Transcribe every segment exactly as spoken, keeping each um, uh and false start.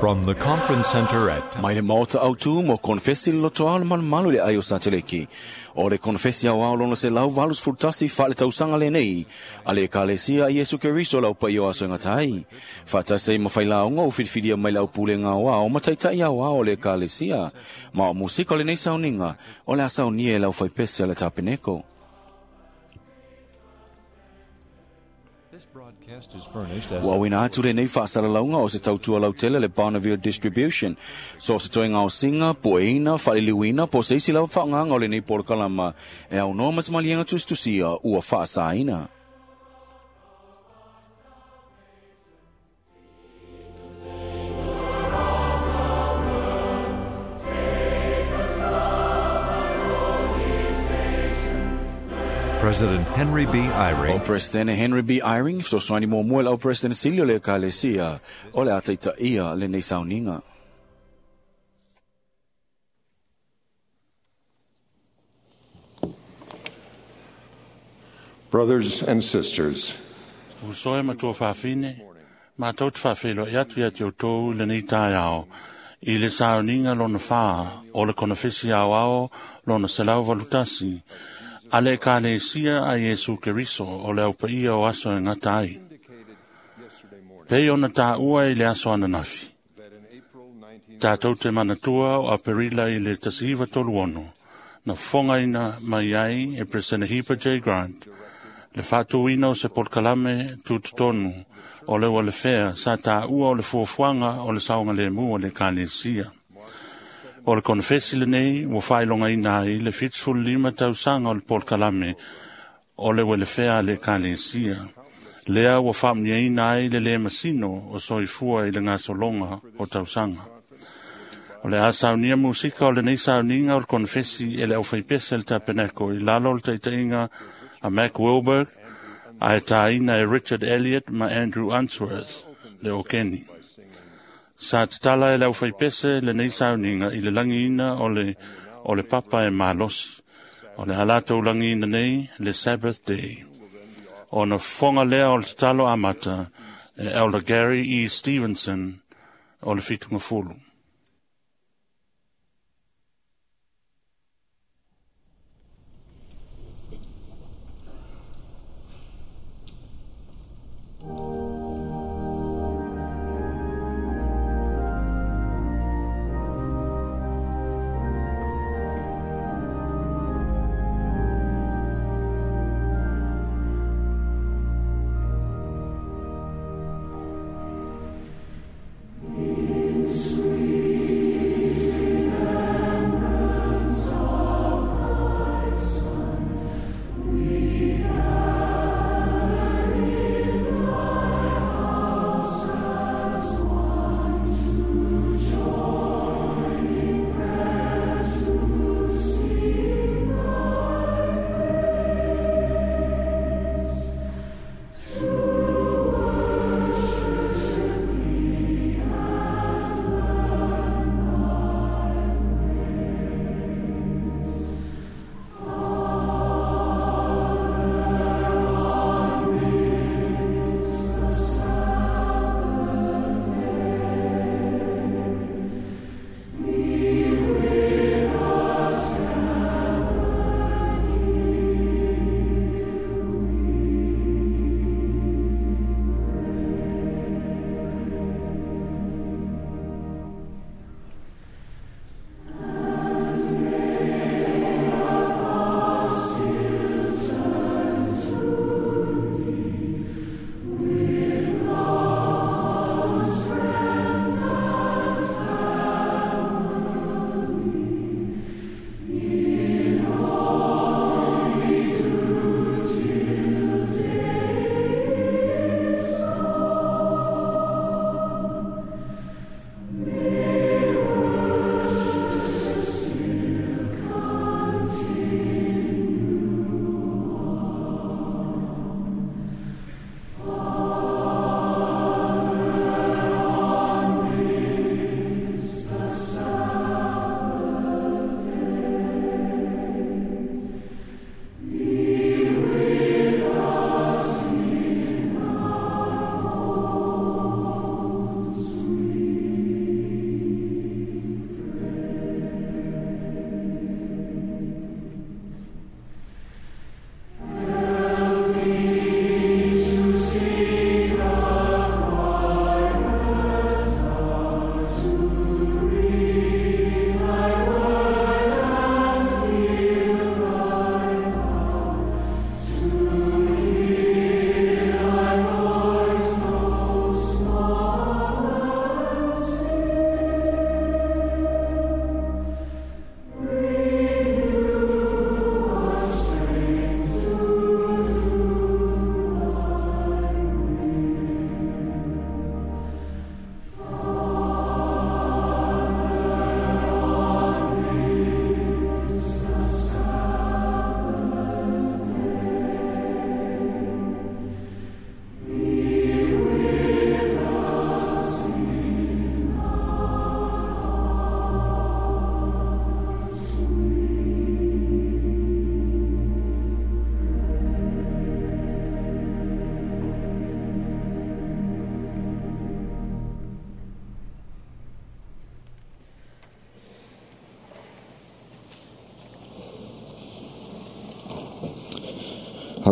From the Conference Center at Mai le maota au tu mo konfesi le loto ao le malumalu le ai o Sateleki. O le konfesi au ao lona se lau valus fultasi fa le tausanga le nei. A le ekalesia Iesu Keriso lau pa o aso ngatai. Whatase ma whailaonga o whiriwhiria mai lau pule ngā wao ma taitai au ao le ekalesia. Ma o musika le nei sauninga o le asaunia e lau whaipese le tapeneko. Ua wina atu le nei whaasalalaunga o se tautua lautele le Bonneville Distribution. So se toenga o singa, poeina, whaliliwina, po se isi lau whaanganga o le nei porokalama e au noa matamalienga tustusia ua whaasaina. President Henry B. Eyring. O President Henry B. Eyring, so soani mo mua lau President Silio le ekalesia, o le ataita ia le nei sauninga. Brothers and sisters. Usoe matua whawhine, mātou te whawhelo e atu ia te o tōu le nei tai ao, i le sauninga lona whā, o le konofesi ao ao, lona selau valutasi, a le ekalesia a Iesu Keriso o le au paia o aso e ngata ai. Pei ona tā ua i le aso ananafi. Tātou te manatua o Aperila i le tasihiva tolu ono, na fongaina mai ai e Presene Hipa J. Grant, le whātuina o se polkalame tututonu o le le whea sa tā ua o le fuafuanga o le saonga le mua le ekalesia. O le konfesi le nei, ua whailonga ina ai le fitsful lima tausanga o le polkalame o le welefea le ekalesia. Lea ua whaamnia ina ai le le masino o soifua i le ngasolonga o tausanga. O le asaunia musika o le nei sauninga o le konfesi e le au whaipese le tapeneko i lalo o le taitainga a Mac Wilberg, a e tāina e Richard Elliott ma Andrew Unsworth le Okeni. Sa tatala e lau whaipese le nei sauninga i le langiina o le, o le papa e malosi. O le halatou langiina nei le Sabbath Day. O na fonga lea o le tatalo amata e Elder Gary E. Stevenson o le fitunga fulu. Sweet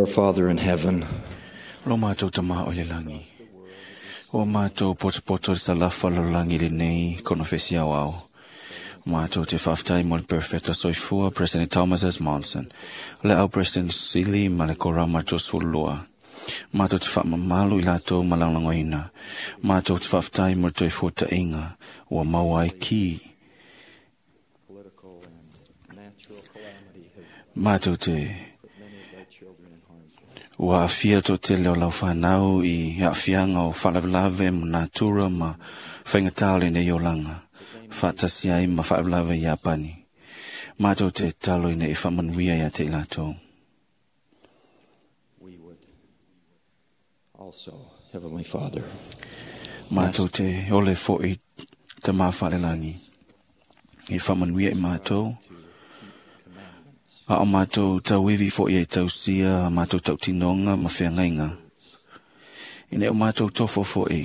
Our Father in heaven, Lo mātou tamā o le langi. O mātou potopoto le salafa lo langi le nei konofesi au au. Mātou te whaftai mo le perfecta soifua President Thomas S. Monson. Le au President Sili ma le kora mātou sfulua. Mātou te whaamamalu i lātou malanglangoina. Mātou te whaftai mo le toifua tainga. Ua maua ai ki. political and natural calamity have Mātou te put many of thy children in harm's way. Ua afia tō tele o lau whanau i afianga o whaalavelave ma natura ma whaingatā o lenei olanga. Whaatasi ai ma whaalavelave i Apani. Mātou te talo ina i whaamanuia ia te ilatou. We would also, Heavenly Father, Mātou te ole fo i te mā whaalelangi. I whaamanuia i mātou. A o mātou tauiwi fo i e tausia, a mātou tautinonga ma wheangainga. Ina o mātou tofo fo i,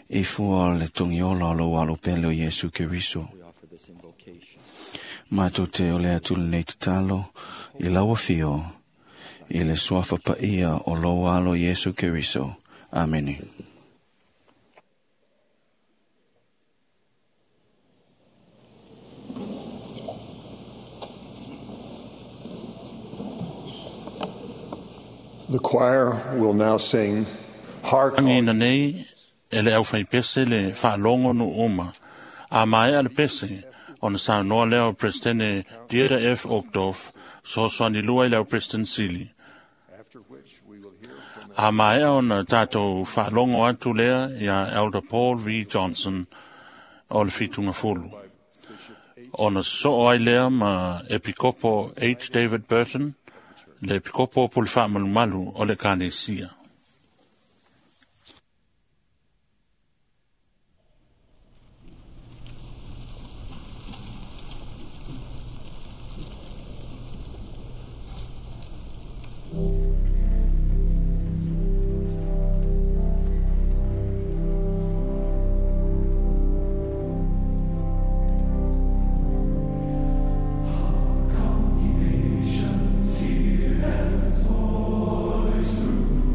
i fua o le tongiola o lo alo pele o Iesu Keriso. we offer this invocation Mātou te ole atu lenei tatalo, i laua fio, i le suafa paia o lo alo Iesu Keriso. Amene. The choir will now sing Hark Angi ina nei, e le au whai pese le whaalongo nu uma. A mai a le pese, ona sa noa leo Presidente Dieter F. Uchtdorf, so soani lua i leo President Sili. after which we will hear from A mai ona tātou whaalongo atu lea ia Elder Paul V. Johnson o le whitunga fulu. Ona so ai lea ma Epikopo H. David Burton, le Epikopo o Pule Whaamalumalu o le Kanesia. Nations hear heaven's voice through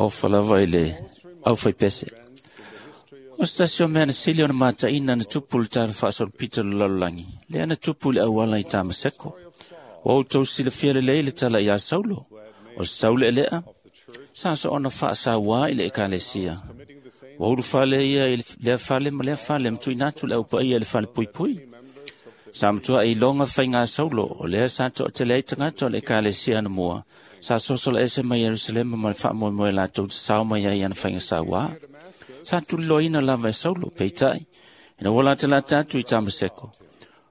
Ofa lava i le aufaipese. O se tasi o mea na sili ona mataina na tupu le tala faasolopito o le lalolagi, lea na tupu i le auala i Tamaseko. Ua outou silafia lelei le tala iā Saulo, o se taulealea, sa soona faasauā i le ekalesia. Ua ulufale ia i lea fale ma lea fale ma tuuina atu le aupaia i le falepuipui. Sa matuai iloga faiga Saulo, o lea sa toatele ai tagata o le ekalesia anamua, sa sosola ese mai Ierusalema ma le faamoemoe latou te sao mai ai ana faiga sauā. Sa tuliloaina lava e Saulo, peitai, ina ua latalata atu i Tamaseko,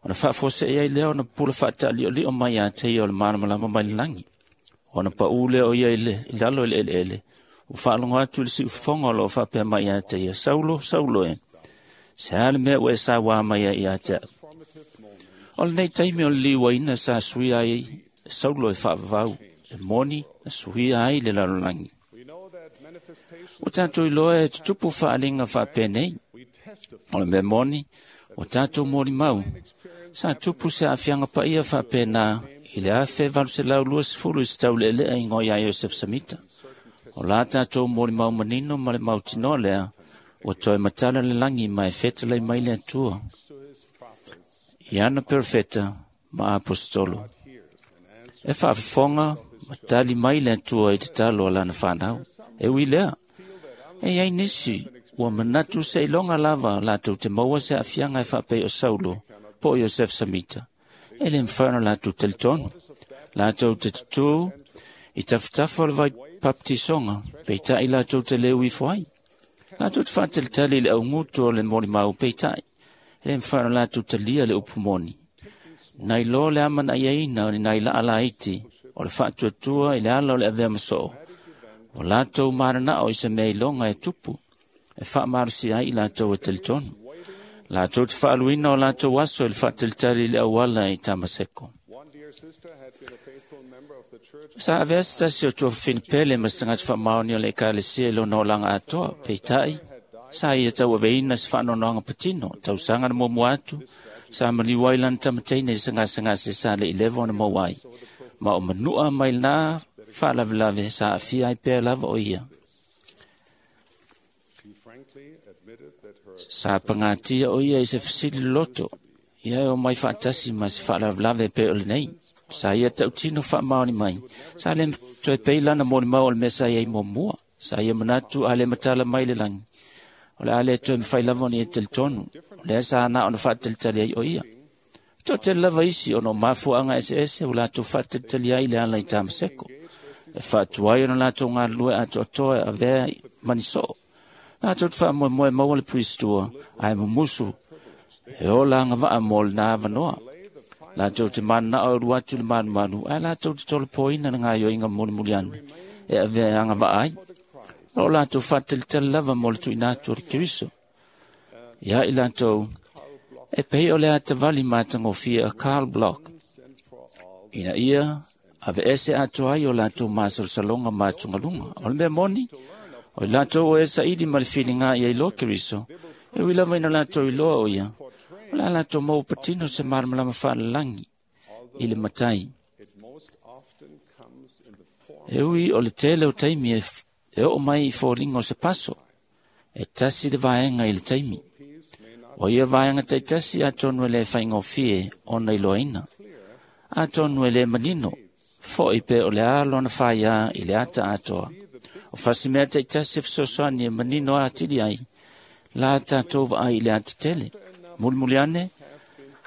ona faafuasei ai lea ona pupula faataaliolio mai ia te ia o le malamalama mai le lagi. Ona paū lea o ia i, le, i lalo i le eleele, ua faalogo atu i le siufofoga o loo faapea mai ia te ia, Saulo, Saulo e, se a le mea ua e sauā mai ai ia te au. O lenei taimi o le liuaina sa suia ai Saulo e faavavau, e moni na suia ai le lalolagi. Ua tatou iloa e tutupu faaaliga faapenei. O le mea moni, ua tatou molimau, sa tupu se aafiaga paia faapena i le afe valu selau luasefulu i se taulealea igoa iā Iosef Samita. O la tatou molimau manino ma le mautinoa lea, ua toe matala le lagi ma e fetalai mai le Atua i ana perofeta ma apostolo. E faafofoga ma tali mai le Atua i tatalo a lana fanau. E ui lea, e iai nisi ua manatu seiloga lava latou te maua se aafiaga e faapei o Saulo po o Iosef Samita. E le mafai ona latou talitonu. Latou te tutū i tafatafa o le vai papatisoga, peitai latou te le uifo ai. Latou te faatalitali i le augutu o le molimau peitai, e le mafai ona latou talia le upu moni. Nai loa le amanaiaina o ni nai laa laiti o le faatuatua i le ala o le avea masoo, o latou mananao i se mea iloga e tupu, e faamalosi ai i latou e talitonu. Latou te faaluina o latou aso i le faatalitali i le auala i Tamaseko. Sa avea se tasi o tuafafine pele ma se tagata faamaoni o le ekalesia i lona olaga atoa, peitai, sa ia tauaveina se faanoanoaga patino, tausaga na muamua atu, sa maliu ai lana tamateina i se gasegase sa le i leva ona maua ai, ma o manua mai lena faalavelave sa aafia ai pea lava o ia. Sa pagatia o ia i se fesili loloto, ia e o mai faatasi ma se faalavelave pei o lenei. Sa ia tautino faamaoni mai, sa le toe pei lana molimau o le mea sa iai muamua. Sa ia manatu a le matala mai le lagi, o le a le toe mafai lava ona ia talitonu, o lea sa na ona faatalitali ai o ia. Toatele lava isi ona o mafuaaga eseese ua latou faatalitali ai i le ala i Tamaseko, e faatuai ona latou galulue atoatoa e avea mani soo. Latou te faamoemoe maua le puisitua, ae mumusu e ola agavaa mo lena avanoa. Latou te mananao e ulu atu le malumalu, ae latou te tolopoina le gaioiga mulimuli ane e avea e agavaa ai. O latou faatalitali lava mo le tuuina atu o le Keriso. Ia i latou, e pei o le atavali matagofie a Karl Bloch, ina ia aveese atoa ai o latou masalosaloga ma atugaluga. O le mea moni, o i latou o e saili ma le filiga ia iloa Keriso, e ui lava ina latou iloa o ia, o le a latou maua patino se malamalama faalalagi i le matai. E ui o le tele o taimi e, e oo mai i foliga o se paso, e tasi le vaega i le taimi. O ia vaega taitasi atonu e le faigofie ona iloaina. Atonu e le manino, foi pe o le a lona faiā i le ata atoa. O fasimea taitasi e fesoasoani e manino atili ai, la tatou vaai i le atatele. Mulimuli ane,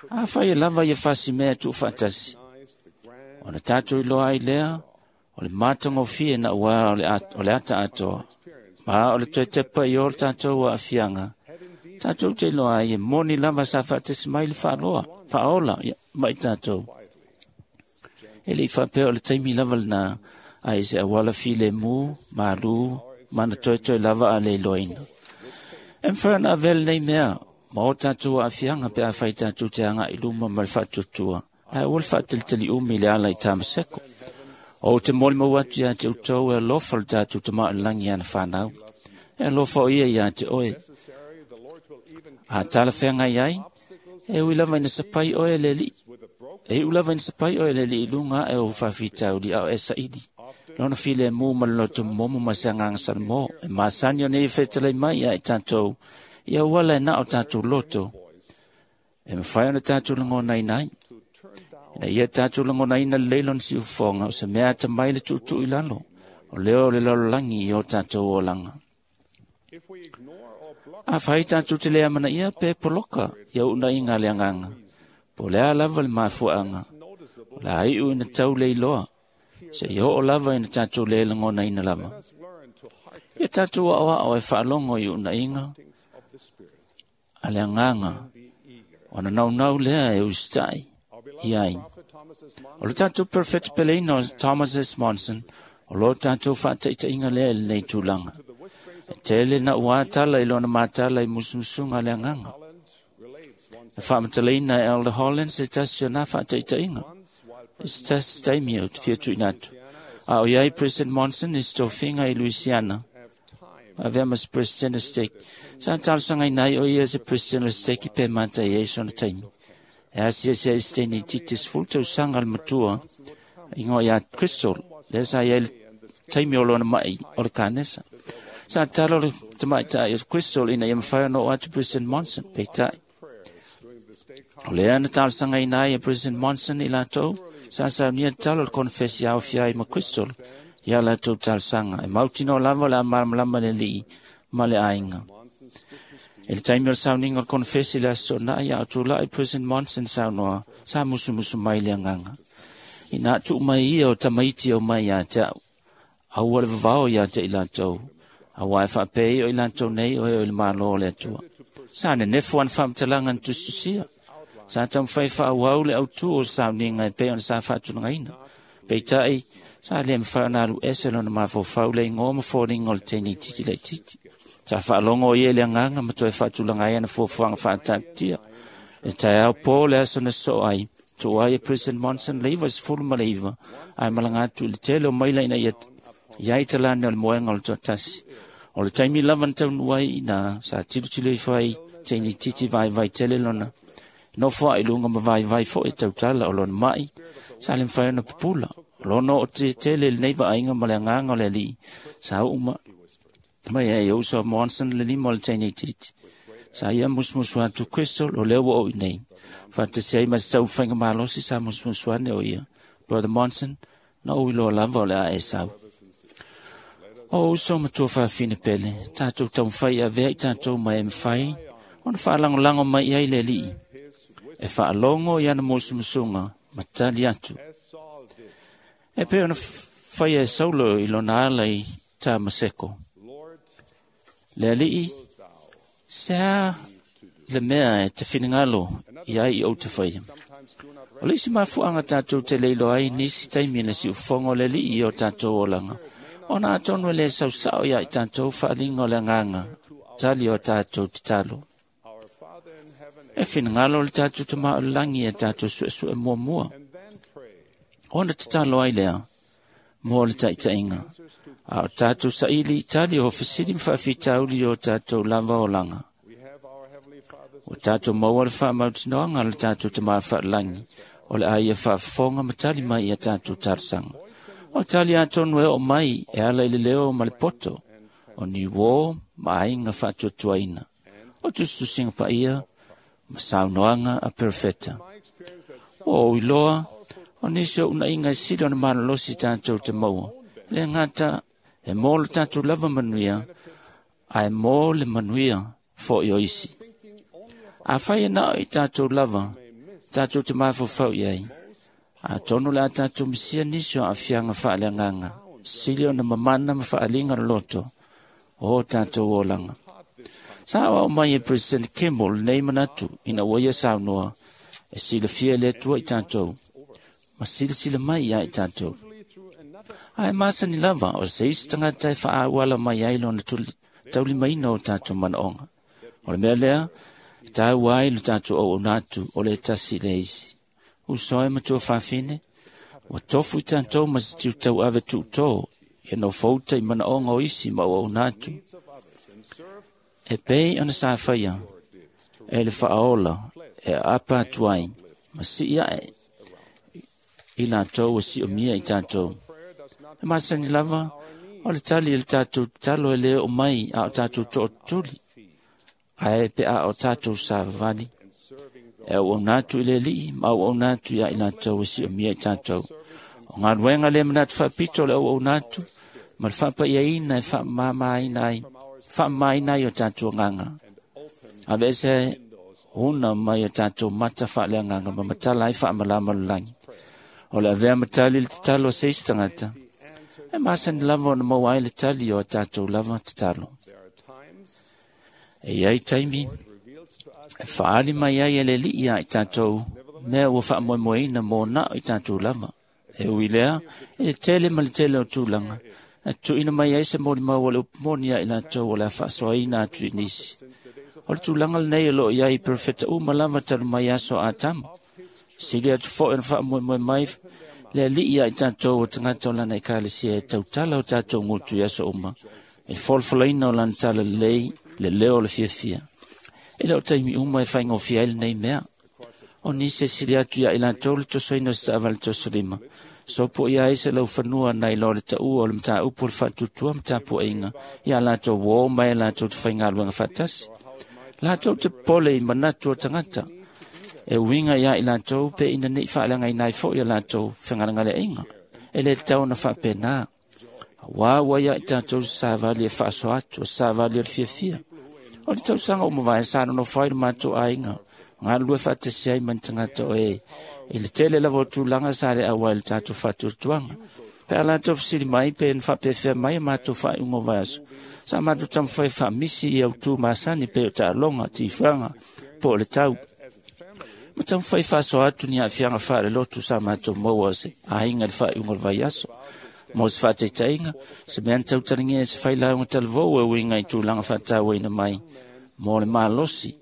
afai e lava ia fasimea e tuufaatasi, ona tatou iloa ai lea, o le matagofie na ua o le, at, o le ata atoa, ma o le toe tepa i o le tatou aafiaga, tatou te iloa ai e moni lava sa faatasi mai le faaloa, faaola ia, mai tatou. E le i faapea o le taimi lava lena, ae se auala filemu, malu, ma na toetoe lava a le iloaina. E mafai ona avea lenei mea, ma o tatou aafiaga pe afai tatou te agai i luma ma le faatuatua, ae aua le faatalitali umi i le ala i Tamaseko. O te molimau atu ia te outou e alofa le tatou Tama o le lagi i ana fanau. E alofa o ia ia te oe. A talafeagai ai, e ui lava ina sapai oe e le alii. E iu lava ina sapai oe e le alii i luga ae o faafitauli a o e saili. Lona filemu ma le loto momo ma se agaga salamo e masani ona ia fetalai mai ia i tatou ia auala e na o tatou loto e mafai ona tatou lagonaina ai. Ina ia tatou lagonaina lelei lona siufofoga o se mea atamai le tuutuu i lalo o leo o le lalolagi i o tatou olaga. Afai tatou te le amanaia pe poloka ia uunaiga a le agaga, po o le a lava le mafuaaga, o le a iu ina tau le iloa, seia oo lava ina tatou le lagonaina lava. Ia tatou aoao e faalogo i uunaiga a le agaga, ona naunau lea e usitai i ai. O le tatou perfect peleina o Thomas S. Monson, o lo tatou faataitaiga lea i lenei tulaga. E tele na ua tala i lona matala i musumusuga a le agaga. Na faamatalaina e Elder Holland se tasi o na faataitaiga. I se tasi taimi o te fia tuuina atu. A o iai President Monson i se tofiga i Louisiana, avea ma se President o Stake. Sa talosagaina ai o ia se President o Stake pe matai ai sona taimi. E asiasi ai se teine itiiti sefulu tausaga le matua igoa ia Crystal, lea sa iai le taimi o lona mai o le kanesa. Sa tatalo le tamaitai o Crystal ina ia mafai ona oo atu President Monson, peitai. O lea na talosagaina ai e President Monson i latou, sa saunia tatalo le konefesi aofia ai ma Crystal ia latou talosaga. E mautinoa lava o le a malamalama le alii ma le aiga. I le taimi o le sauniga o le konefesi i le Aso Toonai, a o tulai President Monson saunoa, sa musumusu mai le agaga. Ina tuu mai ia o tamaiti o mai ia te au, aua le vavao ia te i latou, aua e faapea o i latou nei o e o i le malo o le Atua. Sa nenefu ana faamatalaga na tusitusia. Sa taumafai faaauau le autū o le sauniga e pei ona sa faatulagaina. Peitai, sa le mafai ona alu ese lona mafaufau le igoa ma foliga o le teine itiiti laitiiti. Sa faalogo ia i le agaga ma toe faatulaga ai ana fuafuaga faataatitia. Le taeao po le aso na sosoo ai, tuu ai e President Monson le iva sefulu ma le iva, ae malaga atu i le tele o maila ina ia iai talane o le moega o le toatasi. O le taimi lava na taunuu ai ina sa tilotilo ifo ai teine itiiti vaivai tele lona nofo ai luga ma vaivai foi tautala o lona mai, sa le mafai ona pupula. O lona oo tele lenei vaaiga ma le agaga o le alii, sa uu mai ai e uso Monson le lima o le teine itiiti. Sa ia musumusu atu Crystal o lea ua oo i nei. Faatasi ai ma se taumafaiga malosi sa musumusu ane o ia. Brother Monson, na ou iloa lava o le a e sau. O uso matua faafine pele, tatou taumafai e avea i tatou ma e mafai ona faalagolago mai ai le alii. E faalogo i ana musumusuga ma tali atu. E pei ona faia e Saulo i lona ala i Tamaseko. Le alii, se a le mea e te finagalo i ai i ou te faia. O le isi mafuaaga tatou te le iloa ai nisi taimi na siufofoga o le alii i o tatou olaga, ona atonu e le sausao ia i tatou faaaliga o le agaga, tali o tatou tatalo. E finagalo le tatou Tama o le lagi e tatou suesue muamua, ona tatalo ai lea mo le taitaiga. A o tatou saili i tali o fesili ma faafitauli o tatou lava olaga. O tatou maua le faamautinoaga o le tatou Tama faalagi, o le a ia faafofoga ma tali mai ia tatou talosaga. O tali atonu e oo mai e ala i le leo ma le poto, o ni uō ma aiga faatuatuaina, o tusitusiga paia ma saunoaga a perofeta. Ua ou iloa, o nisi o unaiga e sili ona malolosi tatou te maua, le gata e mo le tatou lava manuia, ae mo le manuia foi o isi. Afai e na o i tatou lava, tatou te mafaufau i ai, atonu le a tatou misia nisi o aafiaga faaleagaga, sili ona mamana ma faaliga le loto o tatou olaga. Sa aoao mai e President Kimball lenei manatu ina ua ia saunoa e silafia le Atua i tatou, ma silasila mai ia i tatou. Ae masani lava o se isi tagata e faaauala mai ai lona taulimaina o tatou manaoga. O le mea lea, e taua ai lo tatou auauna atu o le tasi le isi. Uso e matua faafine, ua tofu i tatou ma se tiutauave tuutō, ia nofouta i manaoga o isi ma auauna atu. E pei ona sa faia e le faaola e aapa atu ai ma sii ae i latou ua siomia i tatou. E masani lava, o le tali e le tātou tatalo e le o mai a o tātou tootuli, ae pe a o tātou savavali. E auauna atu i le Alii ma auauna atu ia i latou e siomia i tātou. O galuega le manatu faapito o le auauna atu, ma le faapaiaina e faamamaina ai, faamamaina ai o tātou agaga. Aveese una mai o tātou mata faaleagaga ma matala ai faamalama o le lagi. O le avea ma tali le tatalo a se isi tagata, e masani lava ona maua ai le tali o a tātou lava tatalo. E iai taimi e faali mai ai e le Alii ia i tātou mea ua faamoemoeina mo nao i tātou lava. E ui lea, e le tele ma le tele o tulaga, e tuuina mai ai se molimau o le upu moni ia i latou o le a faasoaina atu i nisi. O le tulaga lenei o loo iai i perofeta uma lava talu mai aso a Atama. Sili atu foi ona faamoemoe mai le Alii ia i tātou o tagata o lana ekalesia e tautala o tātou gutu i aso uma, e folafolaina o lana talalelei le leo o le fiafia. E le o taimi uma e faigofie ai lenei mea. O nisi e sili atu ia i latou le tosoina o se taavale tosolima, sopo ia ai se laufanua nai lo le taua o le mataupu o le faatuatua ma tapuaiga ia latou uō mai e latou te faigaluega faatasi. Latou te popole i manatu o tagata, e uiga ia i latou pe ina nei faaleagaina ai foi a latou fegalegaleaiga. E le tatau ona faapena. Auā ua ia i tatou se savali e faasoa atu, o se savali o le fiafia. O le tausaga ua mavae sa nonofo ai le matou aiga, galulue faatasi ai ma ni tagata o e i le tele lava o tulaga sa le auai i le tatou faatuatuaga. Pe a latou fesili mai pe na faapefea mai a matou faaiuga o vaiaso, sa matou taumafai e faamisi i autū masani pei o taaloga, tifaga, po o le tau. Ma taumafai e faasoa atu ni aafiaga faalelotu sa matou maua o se aiga i le faaiuga o le vaiaso. Mo se faataitaiga, se mea na tautalagia e se failauga talavou e uiga i tulaga faatauaina mai mo le malosi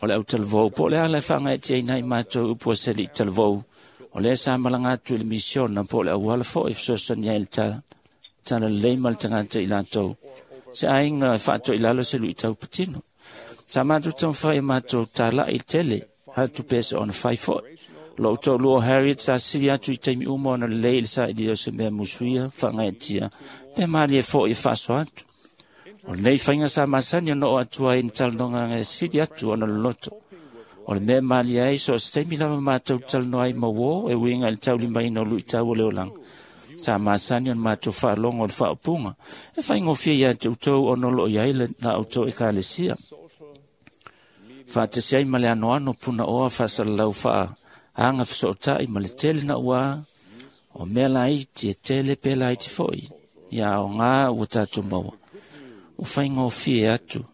o le autalavou, po o le ala e faagaetiaina ai matou upu a se alii talavou, o lea sa malaga atu i le misiona po o le auala foi e fesoasoani ai le talalelei ma le tagata i latou. Se aiga e faatoilalo se luitau patino. Sa matou taumafai e matou talai i le tele, atu pe se ona fai foi. Lou toalua o Harriet sa sili atu i taimi uma ona lelei i le sailia o se mea musuia, faagaetia, pe malie foi e faasoa atu. O lenei faiga sa masani ona oo atu ai i ni talanoaga e sili atu ona loloto. O le mea e malie ai, so o se taimi lava matou talanoa ai ma uō e uiga i le taulimaina o luitau o le olaga. Sa masani ona matou faalogo i le faaupuga, e faigofie ia te outou ona o loo i ai la outou ekalesia. Faatasi ai ma le anoano punaoa faasalalau faaaga fesootai ma le tele nauā o mea laiti e tele pe laiti foi, ia aoga ua tatou maua. Ua faigofie atu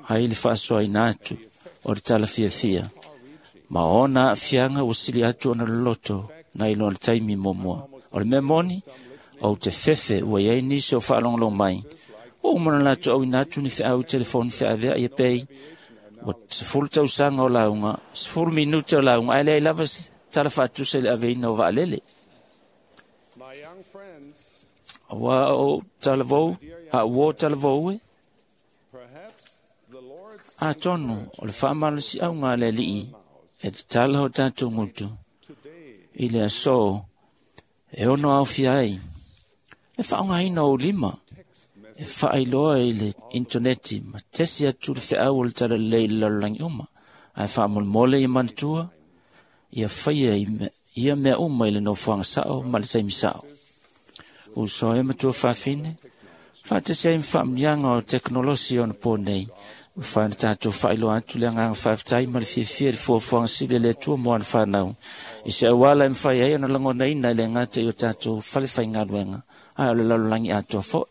ai le faasoaina atu o le tala fiafia, ma ona aafiaga ua sili atu ona loloto nai lo le taimi muamua. O le mea moni, ou te fefe ua iai nisi o faalogologo mai, ua uma ona latou auina atu ni feau i telefoni feaveai e pei, ua sefulu tausaga o lauga, sefulu minute o lauga, ae leai lava se tala faatusa i le aveina o vaalele. Auā o talavou, a uō talavou e, atonu o le faamalosiauga a le Alii e tatala o tatou gutu i le aso e ono aofia ai le faaaogaina o ou lima e faailoa i le intaneti ma tesi atu le feau o le talalelei i le lalolagi uma, ae faamolemole ia manatua ia faia ia mea uma i le nofoaga sao ma le taimi sao. Uso e matua fafine, faatasi ai ma faamuniaga o tekonolosi ona po nei, ua fai ona tatou faailoa atu le agaga faafetai ma le fiafia i le fuafuaga sili a le Atua mo ana fanau, i se auala e mafai ai ona lagonaina e le gata i o tatou falefaigaluega, ae o le lalolagi atoa foi.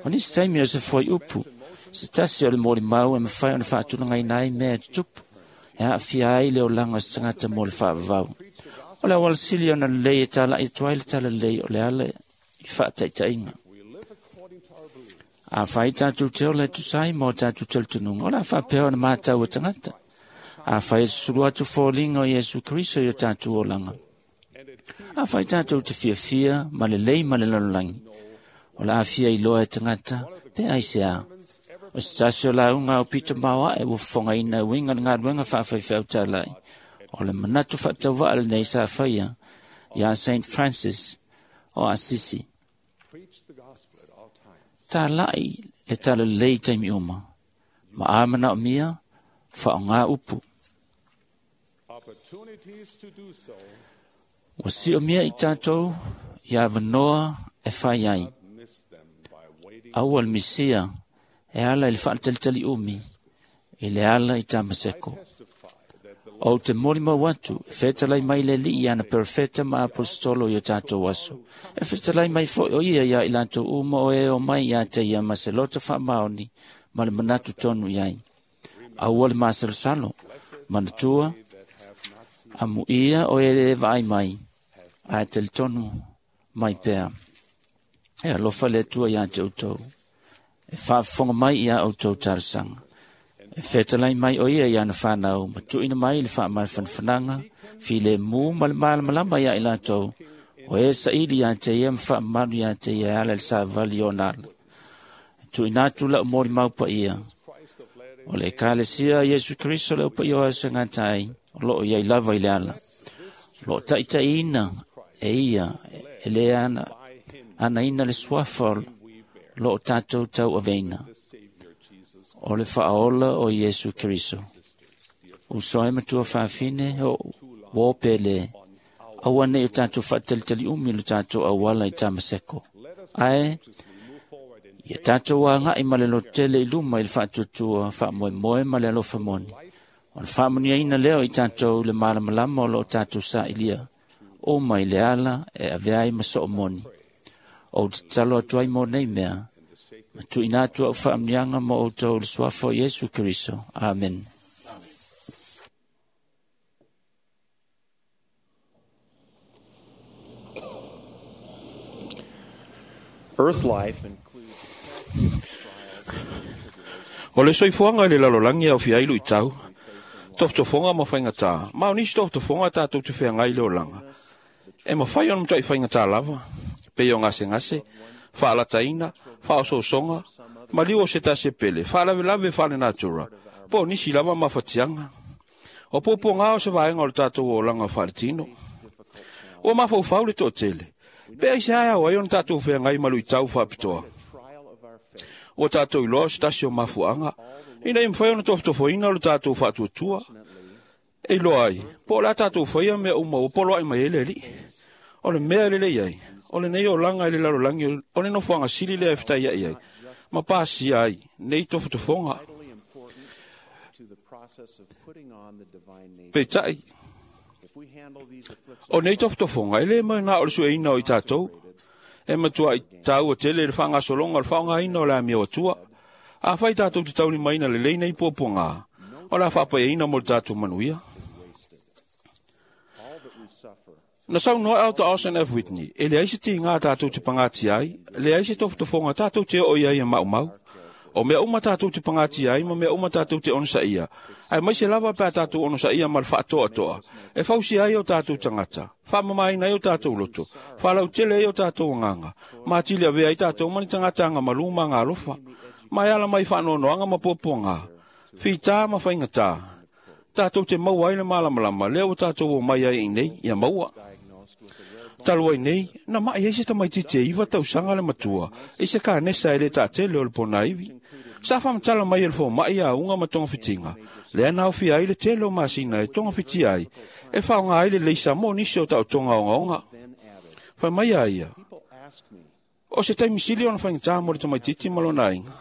O nisi taimi o se fuaiupu, se tasi o le molimau e mafai ona faatulagaina ai mea e tutupu, e aafia ai le olaga o se tagata mo le faavavau. O le auala sili ona lelei e talai atu ai le talalelei o le ala i faataitaiga. Afai tatou te ola e tusa ai ma o tatou talitonuga, o le a faapea ona matau e tagata. Afai e susulu atu foliga o Iesu Keriso i o tatou olaga. Afai tatou te fiafia ma lelei ma le lalolagi, o le a fia iloa e tagata pe aisea. O se tasi o lauga au pito maoae ua fofogaina e uiga i le galuega faafaifeau talai, o le manatu faatauvaa lenei sa faia ia Saint Francis o Asisi. Tālai le tala lei taimi uma, ma a manaomia faaaogā upu. Ua siomia i tatou ia avanoa e fai ai. Aua le misia e ala i le faatalitaliʻumi i le ala i Tamaseko. Ou te molimau atu e fetalai mai le Alii ana perofeta ma aposetolo i o tatou aso. E fetalai mai foi o ia iā i latou uma o e omai ia te ia ma se loto faamaoni ma le manatu tonu i ai. Aua le masalosalo, manatua, amuia o e le vaai mai, ae talitonu mai pea. E alofa le Atua iā te outou, e faafofoga mai iā outou talosaga. E fetalai mai o ia i ana whanau, ma tuina mai le whaamalafanafanaga, filemu ma le malamalama ia i latou, o e saili ia te ia ma faamamalu ia te ia e ala i le savali o ona ala. E tuuina atu lau molimau paia, o le Ekalesia a Iesu Keriso le aupaia o aso e gata ai, o loo iai lava i le ala. O loo taitaiina e ia e le ana, anaina le suafa o loo tatou tauaveina, o le faaola o Iesu Keriso. Uso ai matua fafine o uō pele, aua nei o tatou faatalitaliʻumi lo tatou auala i Tamaseko. Ae, ia tatou agai ma le lototele i luma i le faatuatua faamoemoe ma le alofa moni. O le faamanuiaina lea o i tatou le malamalama o loo tatou sailia, uma i le ala e avea ai ma soomoni. Ou te tatalo atu ai mo nei mea, ma tuuina atu au faamanuiaga mo outou i le suafa o Iesu Keriso. Amen. Earth life includes tests, trials, and tribulations. O le soifuaga i le lalolagi e aofia ai luitau, tofotofoga ma faigatā, ma o nisi tofotofoga tatou te feagai i le olaga. E mafai ona matuai faigatā lava, pei o gasegase, faalataina, faaosoosoga, maliu o se tasi e pele, faalavelave faalenatura, po o nisi lava mafatiaga. O puapuagā o se vaega o le tatou olaga faaletino. Ua mafaufau le toatele, pe aisea e ao ai ona tatou feagai ma luitau faapitoa. Trial of our faith. Ua tatou iloa o se tasi o mafuaaga, ina ia mafai ona tofotofoina o le tatou faatuatua. E iloa ai, po o le a tatou faia mea uma ua poloai mai ai le Alii. O le mea e lelei ai, o lenei olaga i le lalolagi o le nofoaga sili lea e fetaiai ai, ma pasia ai nei tofotofoga. Vitally important to the process of putting on the divine nature. Peitai, If we handle these afflictions o nei tofotofoga e le mai na o le sueina o i tatou, e matua i tāua tele le whangasologa o le whaongaina o le amio atua. A whai tātou te taulimaina le lei nei puapuagā, o le a whaapaiaina mo le tātou manuia. wasted, all that we suffer Na saunoa au ta Austin F. Whitney, e leai se tigā tatou te pagatia ai, leai se tofotofoga tatou te oo i ai e maumau. O mea uma tatou te pagatia ai ma mea uma tatou te onosaia. Ae mai se lava pe a tatou onosaia ma le faatoatoa. E fausia ai o tatou tagata, faamamaina ai o tatou loto, faalautele ai o tatou agaga, ma atili avea ai tatou ma ni tagata agamalū ma agalofa. Ma e ala mai faanoanoaga ma puapuagā, fitā ma faigatā. Tatou te maua ai le malamalama, lea ua tatou omai ai i nei, ia maua. diagnosed with a rare Talu ai nei, na mai ai se tamaitiiti e iva tausaga le matua, i se kanesa e le taatele o le ponaivi. Sa faamatala mai e le fomai auga ma togafitiga, lea na aofia ai le tele o masina e togafitia ai, e faaaoga ai le leisa mo nisi o taotoga ogaoga. then added, Fai mai a ia, People ask me, o se taimi sili ona faigatā mo le tamaitiiti ma lona aiga.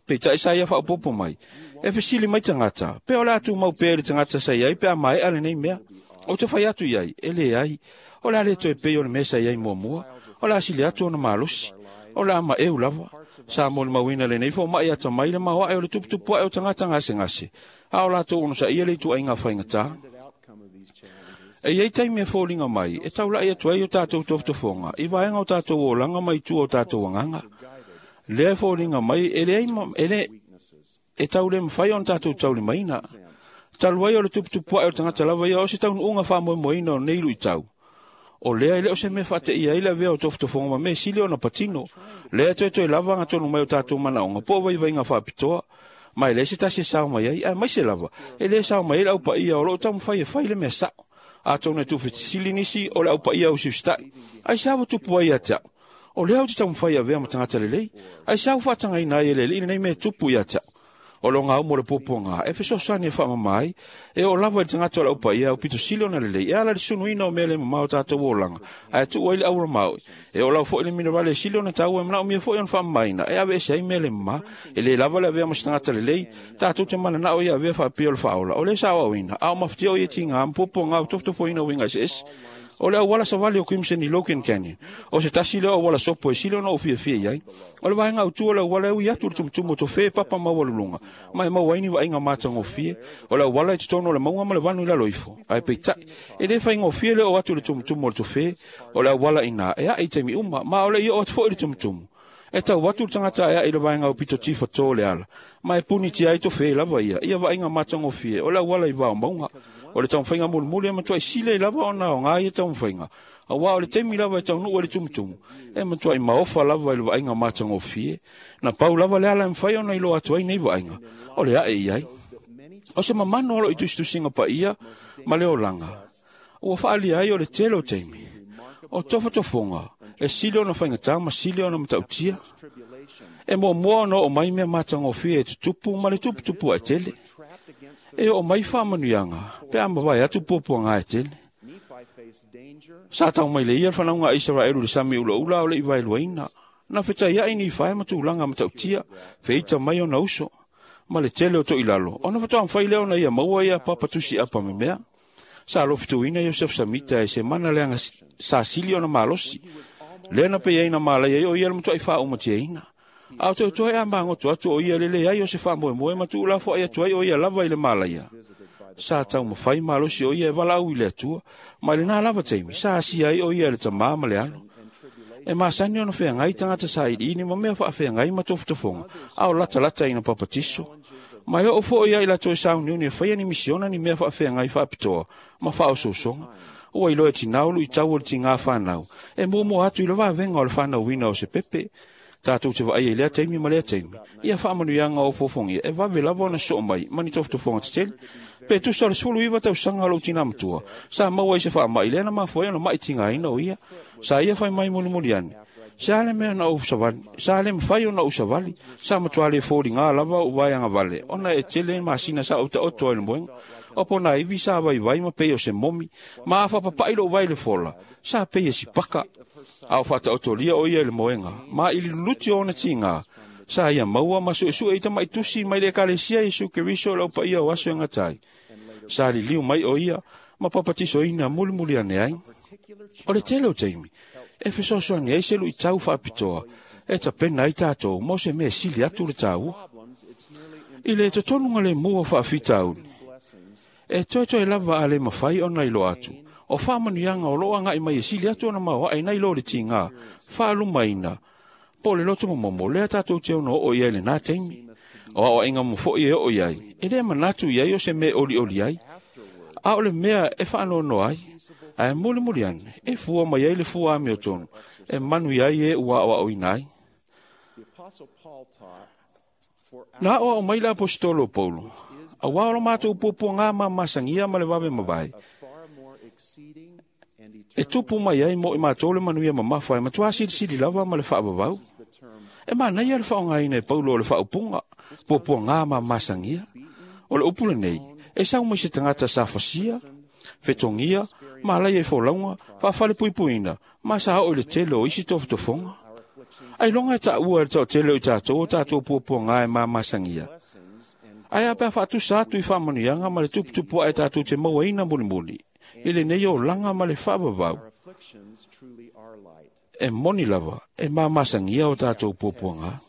Peitai sa ia faaopoopo mai, e fesili mai tagata, pe o le a tumau pea i le tagata sa iai pe a maea lenei mea. Ou te fai atu i ai, e leai, o le a le toe pei o le mea sa iai muamua, o le a sili atu ona malosi, o le a maeu lava. Sa molimauina lenei fomai atamai le maoae o le tuputupu ae o tagata gasegase, a o latou onosaia le ituaiga faigatā. the outcome of these challenges E iai taimi e foliga mai, e taulai atu ai o tatou tofotofoga, i vaega o tatou olaga ma i tua o tatou agaga. Lea e foliga mai, e leai ma- e le, weaknesses. e tau le mafai ona tatou taulimaina. Talu ai o le tuputupu ae o le tagata lava ia o se taunuuga faamoemoeina o nei luitau. O lea e le o se mea faateia ai le avea o tofotofoga ma mea sili ona patino. Lea e toetoe lava agatonu mai o tatou manaoga po o vaivaiga faapitoa. Ma e leai se tasi e sao mai ai, aemaise lava, e lē sao mai ai le aupaia o loo taumafai e fai le mea sao. Atonu e tuufetisili nisi o le aupaia o siusitai. Ai se ua tupu ai ia te au. O lea ou te taumafai e avea ma tagata lelei. Ai se ua faatagaina ai e le Alii lenei mea e tupu ia te au. O le ogaumu o le puapuaga e fesoasoani e faamama ai, e oo lava i le tagata o le aupaia au pito sili ona lelei, e ala i le sunuina o mea le mamao o tatou olaga, ae tuu ai le aura maoi. E oo lava foi le minerale e sili ona taua e manaomia foi ona faamamaina, e aveese ai mea le mama. E le lava le avea ma se tagata lelei, tatou te mananao ia avea faapea o le faaola, o lea sa aoaoina, a o mafatia o ia tiga ma puapuaga o tofotofoina uiga eseese. O le auala savali o Crimson i Logan Canyon, o se tasi lea o auala sopo e sili ona ou fiafia i ai. O le vaega autu o le auala e ui atu i le tumutumu o tofe e papa maualuluga, ma e maua ai ni vaaiga matagofie. O le auala i totonu o le mauga ma le vanu i lalo ifo. Ae peitai, e le faigofie le oo atu i le tumutumu o le tofe. O le auala i ina e ae i taimi uma, ma o le i oo atu foi i le tumutumu. E tau atu le tagata e ae i le vaega aupito tifa to le ala, ma e punitia ai tofe lava ia, ia vaaiga matagofie o le auala i vao mauga. O le taumafaiga mulimuli e matuai sili lava ona aoga ia taumafaiga, auā o le taimi lava e taunuu ai le tumutumu, e matuai maofa lava i le vaaiga matagofie. Na pau lava le ala e mafai ona iloa atu ai nei vaaiga, o le ae i ai. O se mamano o loo i tusitusiga paia ma le olaga, ua faaalia ai o le tele o taimi, o tofotofoga e sili ona faigata ma sili ona matautia. E muamua ona oo mai mea matagofie e tutupu ma le tuputupu ae tele. E oo mai faamanuiaga pe a mavae atu puapuaga e tele. Sa tau mai le ia le fanauga a Isaraelu i le sami ulaula o le i vaeluaina. Na fetaiai ni fae ma tulaga matautia, feita mai ona uso, ma le tele o toilalo, ona faatoa mafai lea ona ia maua ia papatusi apa memea. Sa alofituina Iosef Samita e se mana leaga sa sili ona malosi. Lea na pei ai na malaia ai o ia le matuai faaumatiaina. A o toetoe a magoto atu o ia le leai o se faamoemoe ma tuulafoai atu ai o ia lava i le malaia. Sa taumafai malosi o ia e valaau i le Atua, ma i lenā lava taimi sa asia ai o ia e le tamā ma le alo. E masani ona feagai tagata sailiili ma mea faafeagai ma tofotofoga, a o latalata ina papatiso. Ma e oo foi ia i latou e sauniuni e faia ni misiona ni mea faafeagai faapitoa ma faaosoosoga. Ua iloa e tinā o luitau o le tigā fanau, e muamua atu i le vavega o le fanauina o se pepe. Tatou te vaaia i lea taimi ma lea taimi, ia faamanuiaga o ofofogia e vave lava ona sosoo mai ma ni tofotofoga tetele. Pe tusa o le sefulu iva tausaga o lou tinā matua, sa maua ai se faamai lea na mafua ai ona mai tigaina o ia. Sa ia fai mai mulimuli ane, se a le mea na ou savali, sa le mafai ona ou savali, sa matua le foliga lava ou vaeaga vale, ona e tele masina sa ou taoto ai le moega. O pona ivi sa vaivai ma pei o se momi, ma a faapapai lou vai le fola, sa pei e sipaka. A o faataotolia o ia i le moega, ma i le luluti o ona tiga, sa ia maua ma suesue i tamaitusi mai le ekalesia Iesu Keriso o le aupaia o aso e gata ai. Sa liliu mai o ia ma papatisoina mulimuli ane ai. O le tele o taimi, e fesoasoani ai se luitau faapitoa, e tapena ai tatou mo se mea sili atu le taua. I le totonuga lemu o faafitauli, e toetoe lava a le mafai ona iloa atu, o faamanuiaga o loo agai mai e sili atu ona maoae nai lo le tiga, faalumaina, po o le loto momomo lea tatou te ono oo i ai lenā taimi. O aoaiga mo foi e oo i ai, e le manatu i ai o se mea olioli ai, a o le mea e faanoanoa ai, ae mulimuli ane, e fua mai ai le fua amiotonu, e manu i ai e ua aoaoina ai. Na aoao mai le aposetolo o Paulo, auā o lo matou puapuaga ma masagia ma le vave mavae, e tupu mai ai mo i matou le manuia mamafa e matuā silisili lava ma le faavavau. E manaia le faaaogaina e Paulo o le faaupuga, puapuaga ma masagia. O le upu lenei, e sau mai se tagata sa fasia, fetogia, ma alaia i folauga, faafalepuipuina, ma sa oo i le tele o isi tofotofoga. Ailoga e taua e le toatele o i tatou o tatou puapuaga e mamasagia. Ae a pe a faatusa atu i faamanuiaga ma le tuputupu ae tatou te mauaina mulimuli, i lenei olaga ma le faavavau, e moni lava e mamasagia o tatou puapuaga.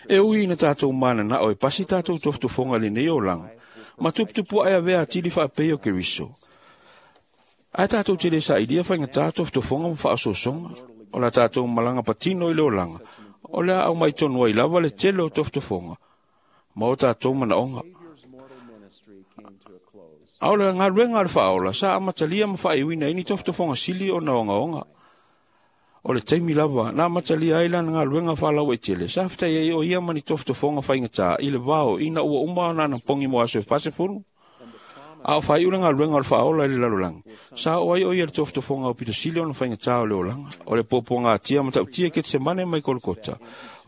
E ui ina tatou mananao e pasi tatou tofotofoga i lenei olaga, ma tuputupu ae avea atili faapei o Keriso. Ae tatou te le sailia faigata tofotofoga ma faaosoosoga, o la tatou malaga patino i le olaga, o le a aumai tonu ai lava le tele o tofotofoga, ma o tatou manaoga. A o le galuega a le faaola, sa amatalia ma faaiuina ai ni tofotofoga sili ona ogaoga. O le taimi lava na amatalia ai lana galuega faalauaitele, sa fetai ai o ia ma ni tofotofoga faigata i le vao ina ua uma ona anapogi mo aso e fasefulu. A o whai ule ngā luenga o le whaola i le lalolagi. Sa o ai o ia le tofotofoga o pitosili ona faigata o le olaga. O le puapuaga atia ma ta'utia Ketesemane mai Kolokota.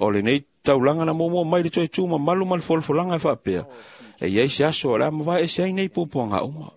O lenei taulaga na muamua mai le toe tu mamalu ma le folafolaga e faapea. E iai se aso o le a mavae ese ai nei puapuaga uma.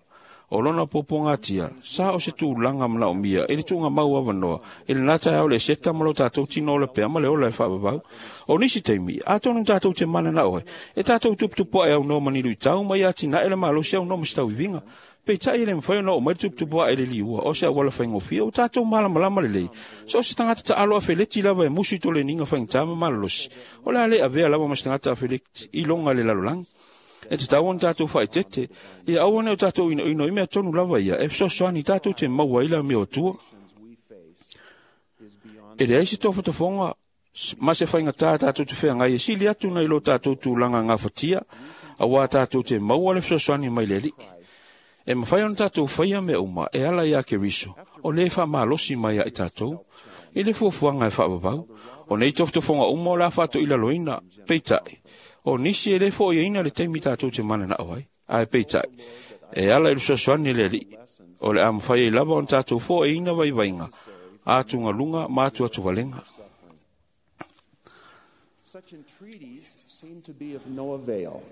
O lona puapuaga atia, sa o se tulaga manaomia i le tuugamau avanoa i lena taeao le seta ma lo tatou tino o le pea ma le ola e faavavau. O nisi taimi, atonu tatou te mananao ai, e tatou tuputupuaʻe aunoa ma ni luitau ma ia atinae le malosi aunoa ma se tauiviga. Peitai e le mafai ona oo mai le tuputupuaʻe i le liua o se auala faigofie ua tatou malamalama lelei. So o se tagata taalo afeleti lava e musu i toleniga faigata ma malolosi. O le a le avea lava ma se tagata afeleti i loga le lalolagi. E tatau ona tatou faaetete, ia aua ne o tatou inoino i mea tonu lava ia, e fesoasoani tatou te maua ai le amio atua. E leai se tofotofoga ma se faigata tatou te feagai e sili atu nai lo tatou tulaga gafatia, auā tatou te maua le fesoasoani mai le Alii. E mafai ona tatou faia mea uma e ala iā Keriso, o lē faamalosi mai ia i tatou. I le fuafuaga e faavavau, o nei tofotofoga uma o le a faatoilaloina, peitai, o nisi e lē foʻoiaina le taimi tatou te mananao ai. Ae peitai, e ala i le fesoasoani le Alii, o le a mafai ai lava ona tatou foʻoiaina vaivaiga, atugaluga ma atuatuvalega. Such entreaties seem to be of no avail,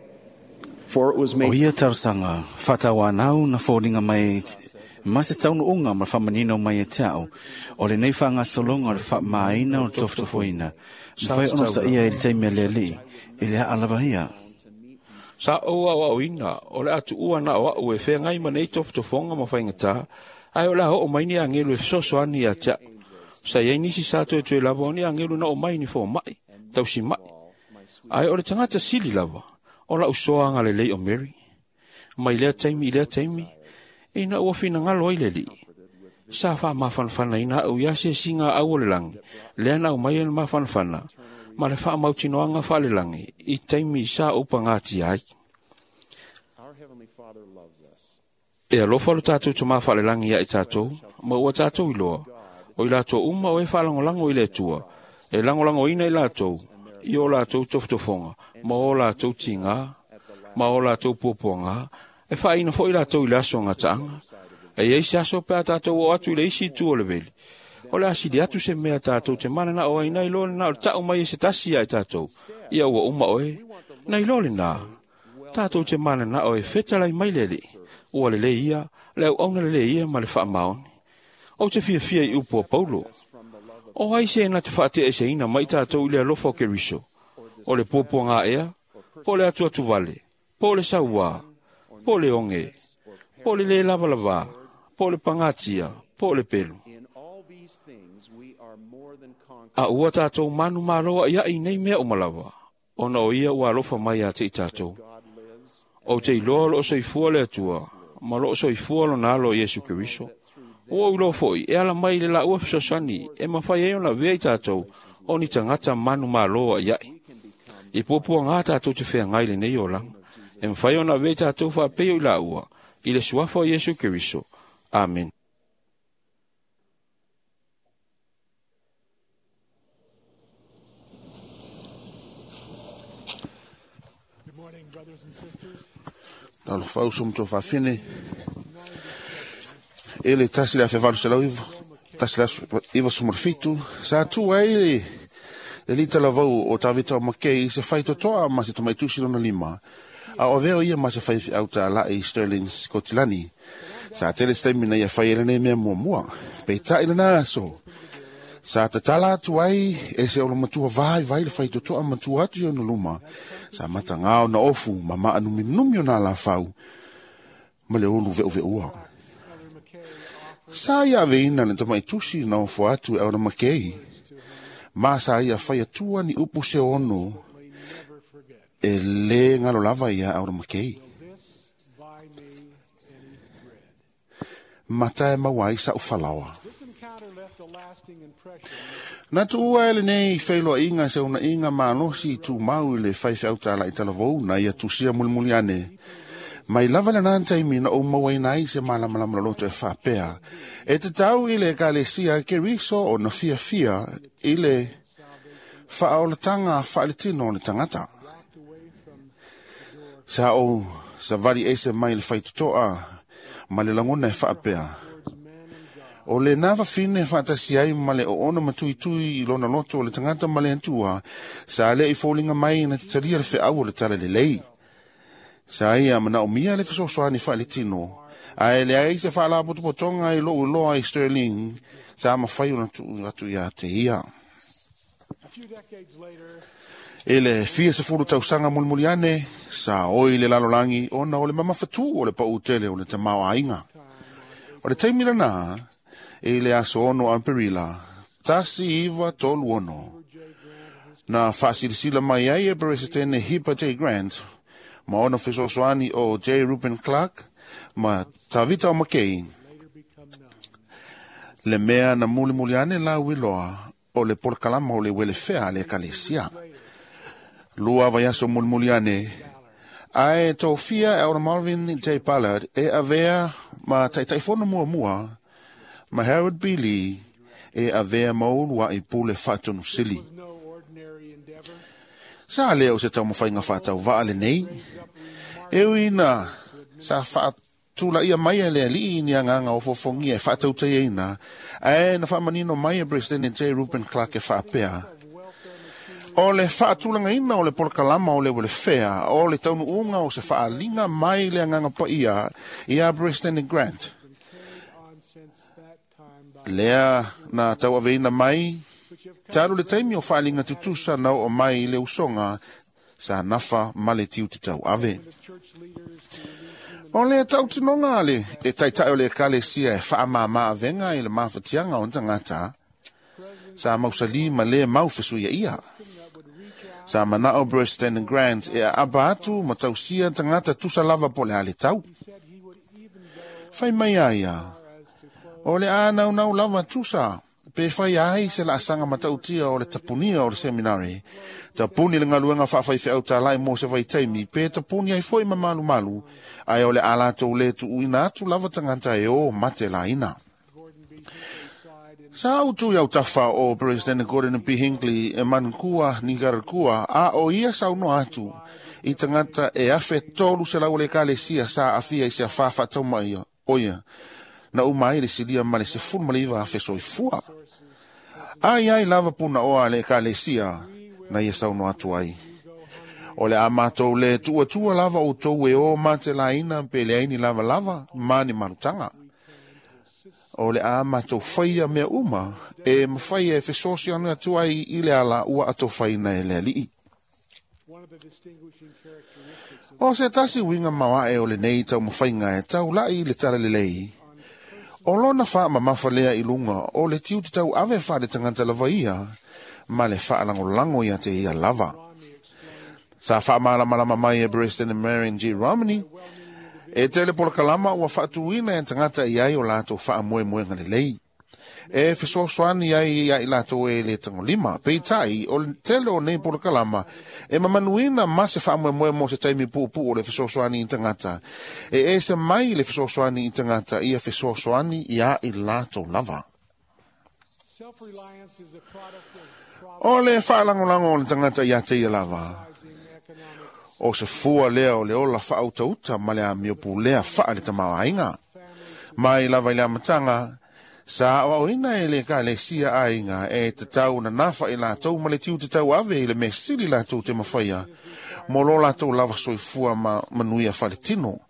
for it was O made ia talosaga, faatauanau na foliga mai ma se taunuuga ma le faamanino mai e te a'u. O lenei faagasologa o le faamāina o le tofotofoina. Mafai ona osaia i le taimi a le Alii, i le aa lava ia. Sa ou aoaoina, o le a tuua na o a'u e feagai ma nei tofotofoga ma faigatā, ae o le a oo mai ni agelu e fesoasoani ia te a'u. Sa iai nisi sa toetoe lava o ni agelu na oo mai ni fomaʻi, tausimaʻi. Ae o le tagata sili lava, o la'u soaga lelei o Mary. Mai lea taimi i lea taimi, ina ua finagalo ai le Alii. Sa faamafanafanaina a'u ia asiasiga a'au o le lagi, lea na aumai ai le mafanafana, ma le faamautinoaga faalelagi i taimi sa ou pagatia ai. Our Heavenly Father loves us. E alofa lo tatou tamā faalelagi ia i tatou, ma ua tatou iloa, o i latou uma o e faalagolago i le Atua, e lagolagoina i latou, i o latou tofotofoga, ma o latou tigā, ma o latou puapuagā, e faaina foʻi latou i le aso gataaga. E iai se aso pe a tatou oo atu i le isi itu o le veli. O le a sili atu se mea tatou te mananao ai nai lo lena o le ta'u mai e se tasi ia i tatou. Ia ua uma oe, nai lo lenā. Tatou te mananao e fetalai mai le Alii. Ua lelei ia, le auauna lelei ia ma le faamaoni. Ou te fiafia i upu a Paulo. O ai se na te faateʻeseina mai tatou i le alofa o Keriso. O le puapuagā ea, po o le atuatuvale, po o le sauā, po o le oge, po o le lē lavalavā, po o le pagatia, po o le pelu. In all these things we are more than conquerors. A ua tatou manu malo aʻiaʻi i nei mea uma lava, ona o ia ua alofa mai ia te i tatou. God lives Ou te iloa o loo soifua le Atua, ma loo soifua lona alo o Iesu Keriso. Ua ou iloa foʻi, e ala mai i le laua fesoasoani, e mafai ai ona avea i tatou, o ni tagata manu malo aʻiaʻi. I puapuagā tatou te feagai lenei olaga. E mafai ona avea i tatou faapei o i laua, i le suafa o Iesu Keriso. Amen. Talofa uso ma tuafafine. E le tasi le afe valu selau iva, tasi le aso iva sefulu ma le fitu, sa tu ai le, le lita lavau o Tavita o Makei i se faitotoa ma se tamaitusi lona lima. A o avea o ia ma se faifeau tālaʻi i Sterling, Skotilani. Sa tele se taimi na ia fai ai lenei mea muamua. Peitai lena aso. Sa tatala atu ai e se olomatua vaivai le faitotoa matua atu i ona luma. Sa matagā ona ofu ma maanuminumi ona alafau ma le ulu veʻuveʻua. Sa ia aveina le tamaitusi na ofo atu e ona Makei. Ma sa ia fai atua ni upu se ono e lē galo lava ia Aura Makei. Mata e maua ai sa'u falaoa. Na tuua e lenei feiloaiga se unaiga malosi i tumau i le faifeau tālaʻi talavou na ia tusia mulimuli ane. Mai lava lenā taimi na ou mauaina ai se malamalama loloto e faapea. E tatau i le ekalesia Keriso ona fiafia i le faaolataga faaletino o le tagata. Sa ou Savali ese mai le faitotoa ma le lagona e faapea. O le nā fafine faatasi ai ma le oona matuitui i lona loto o le tagata ma le Atua, sa le i foliga mai na te talia le feau o le talalelei. Sa ia manaomia le fesoasoani faaletino, ae leai se faalapotopotoga i lou iloa i Sterling, sa mafai ona tuu atu ia te ia. E le fia sefulu tausaga mulimuli ane, sa oi le lalolagi ona o le mamafatū o le paʻu tele o le tamaoaiga. O le taimi lena, i le aso ono Aperila, tasi iva tolu ono. Na faasilasila mai ai e Peresetene Hipa J. Grant, ma ona fesoasoani o J. Reuben Clark, ma Tavita o McKay. Le mea na mulimuli ane lau iloa o le polokalama o le welefea a le ekalesia. Lua vaiaso mulimuli ane, ae tofia e Elder Marvin J. Ballard e avea ma taitaifono muamua ma Harold B. Lee e avea ma uluai pule faatonusili. Sa lea o se taumafaiga faatauvaa lenei. E ui ina sa faatulaia mai e le alii ni agaga o fofogia e faatautaiaina, ae na faamanino mai e President J. Reuben Clark e faapea. O le faatulagaina o le polokalama o le welefea o le taunuuga o se faaliga mai le agaga paia ia President Grant. Lea na tauaveina mai talu le taimi o faaliga tutusa na oo mai i le usoga sa nafa ma le tiute tauave. O le tautinoga a le e taitai o le ekalesia e faamāmā avega i le mafatiaga o tagata, sa mausali ma le mau fesuiaia. Sa manao President Grant e aapa atu ma tausia tagata tusa lava po le a le tau. Fai mai a ia, o le a naunau lava tusa, pe fai ai se laasaga matautia o le tapunia o le seminari. Tapuni le galuega faafaifeau talai mo se vaitaimi, pe tapuni ai foi ma malumalu, ae o le a latou le tuuina atu lava tagata e o mate laina. Sa utu i autafa o President Gordon B. Hinckley e manukua Nicaragua a o ia saunoa atu i tagata e afe tolu selau o le ekalesia sa aafia i se afā faataumaia oia na uma ai le silia ma le sefulu ma le iva afe soifua. Ai ai lava punaoa a le ekalesia na ia saunoa atu ai. O le a matou le tuuatua lava outou e o matelaina pe leai ni lavalava ma ni malutaga. O le a matou faia mea uma e mafai e fesoasoani atu ai i le ala ua atofaina e le alii. O se tasi uiga maoae o lenei taumafaiga e taulai i le talalelei. O lona faamamafa lea i luga o le tiute tauave faaletagata lava ia ma le faalagolago ia te ia lava. Sa faamalamalama mai e President Marion G. Romney, e tele polokalama ua faatuina e tagata i ai o latou faamoemoega lelei. E fesoasoani ai ia i latou e le tagolima. Peitai, o le tele o nei polokalama e mamanuina ma se faamoemoe mo se taimi puupuu o le fesoasoani i tagata. E ese mai le fesoasoani i tagata ia fesoasoani ia i latou lava. O le faalagolago o le tagata ia te ia lava. O se fua lea o le ola faautauta ma le amio pulea faa le tamaoaiga. Mai lava i le amataga, sa aoaoina e le ekalesia aiga e tatau na nafa i latou ma le tiute tauave i le mea sili latou te mafaia, mo lo latou lava soifua ma manuia faletino.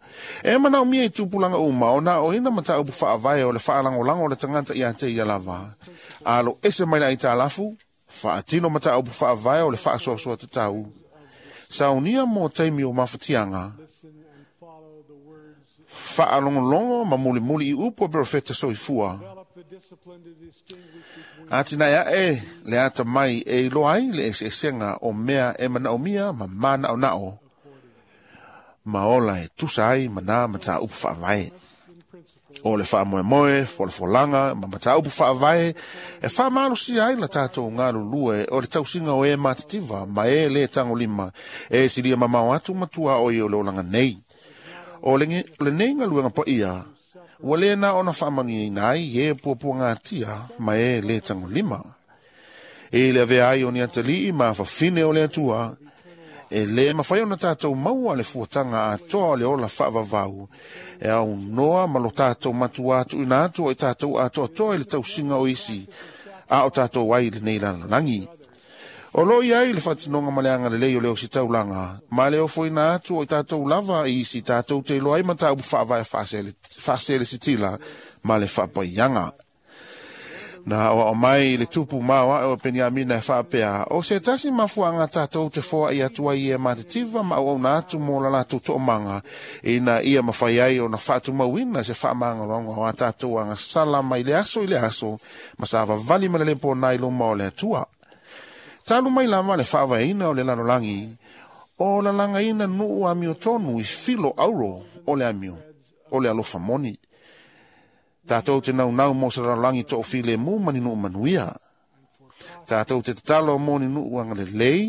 E manaomia i tupulaga uma ona aoina mataupu faavae o le faalagolago o le tagata ia te ia lava. Alo ese mai le aitalafu, faatino mataupu faavae o le faasoasoa tatau. Saunia mo taimi o mafatiaga. Faalogologo ma mulimuli i upu a perofeta soifua. Atinae ae le atamai e iloa ai le eseesega o mea e manaomia ma manaonao. Ma ola e tusa ai ma nā mataupu faavae. O le faamoemoe, folafolaga ma mataupu faavae e faamalosia ai la tatou galulue o le tausiga o e matitiva ma e le tagolima e silia mamao atu ma tuaoi o le olaga nei. O le lenei galuega paia, ua le na ona faamanuiaina ai e puapuagatia ma e le tagolima. E le avea ai o ni atalii ma fafine o le Atua, E le mawhai ona tātou maua le fuatanga atoa o le ola whaavavau. E au noa ma lo tātou matua atu ina atu o i tātou atoa i le tausinga o isi, a o tātou ai le nei lalolangi. O lo iai le whatinonga maleanga le lei o leo si taulanga, ma le ofo ina atu o i tātou lava i isi tātou te iloa ai mata upu whaavae whaasele sitila ma le whapaianga. Na o mai le tupu maua o Peniamina e whaapea, o se tasi mafuanga tātou te foa i atua i e matetiva ma au na atu mō la lātou to'omanga, ina ia mawhai ai o na whaatu mauina se whaamanga loanga o a tātou anga sala mai le aso i le aso, ma sa vavali ma le lepo nai loma o le atua. Talu mai lava le whaavaina o le lalolangi, o lalanga ina nuu amio tonu i filo auro o le amio, o le alofa moni. Tātou te nau nau mō sa lalolangi tō file mū mani nuu manuia. Tātou te tatalo mō ni nuu anga le lei,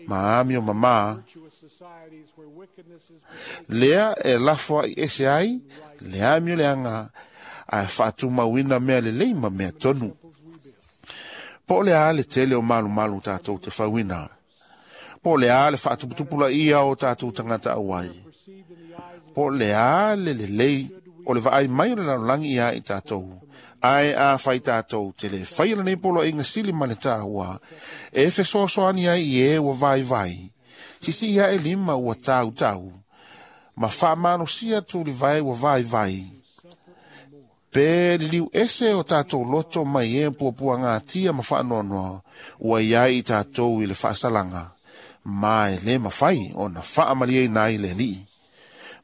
ma amio mama. Lea e lafua i ese ai, le amio le anga, a whaatu mauina mea le lei ma mea tonu. Po le a le tele o malu malu tātou te whauina. Po le a le whaatuputupula ia o tātou tangata awai. Po le a le le lei o le vaai mai o le lalolangi ia i tātou. Ai a whai tātou te le whai la nei polo inga sili ma le tāua. E fesoasoani ai i e ua vai vai. Sisi ia e lima ua tau tau. Ma whaamano sia tūli vai ua vai vai. Pe liliu ese o tātou loto mai e puapua ngā tia ma whaanoanoa, ua iai i tātou i le whaasalanga. Ma e le mawhai o na whaamalia i nai le lii.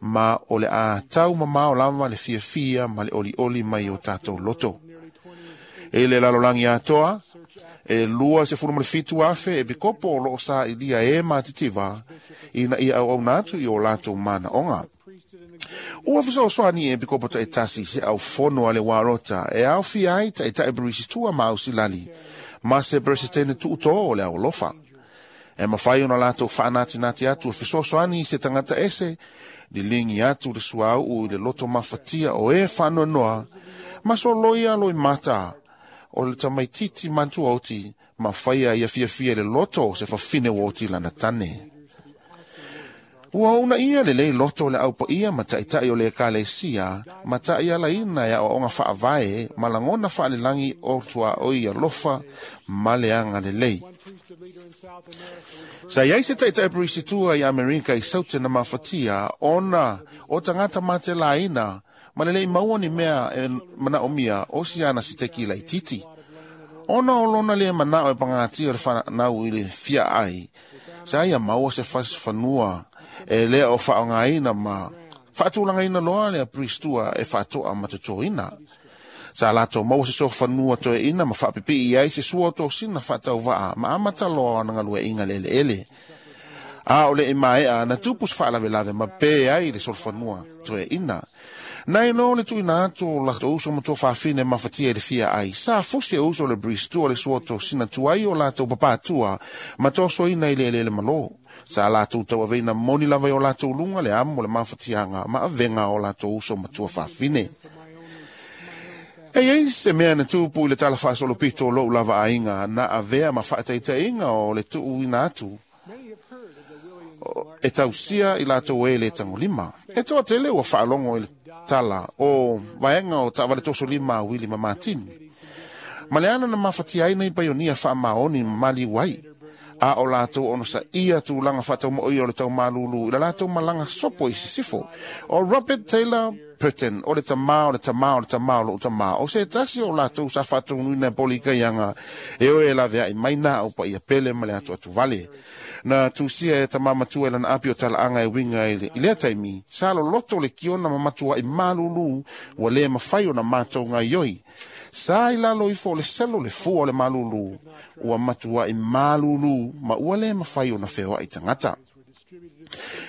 Ma o le a tau mamao lava le fiafia ma le oli oli mai o tātou loto. E le lalolangi atoa, e lua se fulu ma le fitu afe e pikopo o loo sa i lia e mātitiva, ina ia au au natu i o lātou mana onga. Ua fesoasoani e pikopo ta e tasi se au fono a le warota e au fiai ta e ta e berisi tua ma au silali, ma se beresitene tuuto o le au lofa. E mawhai ona lātou whaanatinati atu e fesoasoani se tangata ese, li lingi atu le suau u i le loto mafatia o e whanoanoa, ma so loia loi mata o le tamaititi mantua oti, ma whaia ia fiafia le loto se whawhine o lana tane. Ua una ia le lei loto le aupa ia ma taitai o le ekalesia, ma tai ala ina ia o onga whaavae, ma langona whaalelangi o tua o ia lofa, ma le anga le lei. Sa iai se taitai perisitua i Amerika i saute na mafatia, ona o tangata mate laina, ma le lei maua ni mea e mana o mia o siana si teki laititi. Ona o lona le manao e pangatia o le whanau i le fia ai, sa ia maua se fas whanua, e lea o whaongaina ma whaatūlangaina loa lea pristua e whaatoa matotoina. Sa lato maua se soa whanua toe ina ma whaapipi i ai se sua o tōsina whaatau waa ma amata loa na ngalua inga lele ele. A o le i maea na tupus whaalawelave ma pē ai le solo whanua toe ina. Nei no le tuina atu o lato uso matua whawhine mafatia i le fia ai. Sa fusi e uso le bristua le sua tōsina tuai o lato papatua ma tōso ina i le ele ele malo. Sa latou tau aveina moni lava i o latou lunga le amo le mafatiaga ma avega o latou uso matua fafine. E iai se mea na tupu i le tala faasolopito o lou lava aiga na avea ma faataitaiga o le tuuina atu e tausia i latou e le tagolima. E toatele ua faalogo i le tala o vaega o taavale tosolima a Wili ma Matini. Ma le ana na mafatia ai nei paionia faamaoni ma maliu ai. A o latou ono sa ia tulaga faataumaoi o le taumalulu i la latou malaga sopo i sisifo. O Robert Taylor Burton, o le tamā o le tamā o le tamā o lou tamā, o se tasi o latou sa faataunuina e polikaiaga e oe e laveaʻi mai na au paia pele ma le atu atu vale. Na tusia e tamā matua e lana api o talaaga e uiga i le, i lea taimi, sa loloto le kiona ma matuaʻi malūlū ua lē mafai ona matou gaioi. Sa i lalo ifo o le selo le fua o le malūlū, ua matuaʻi malūlū ma ua lē mafai ona feoaʻi tagata.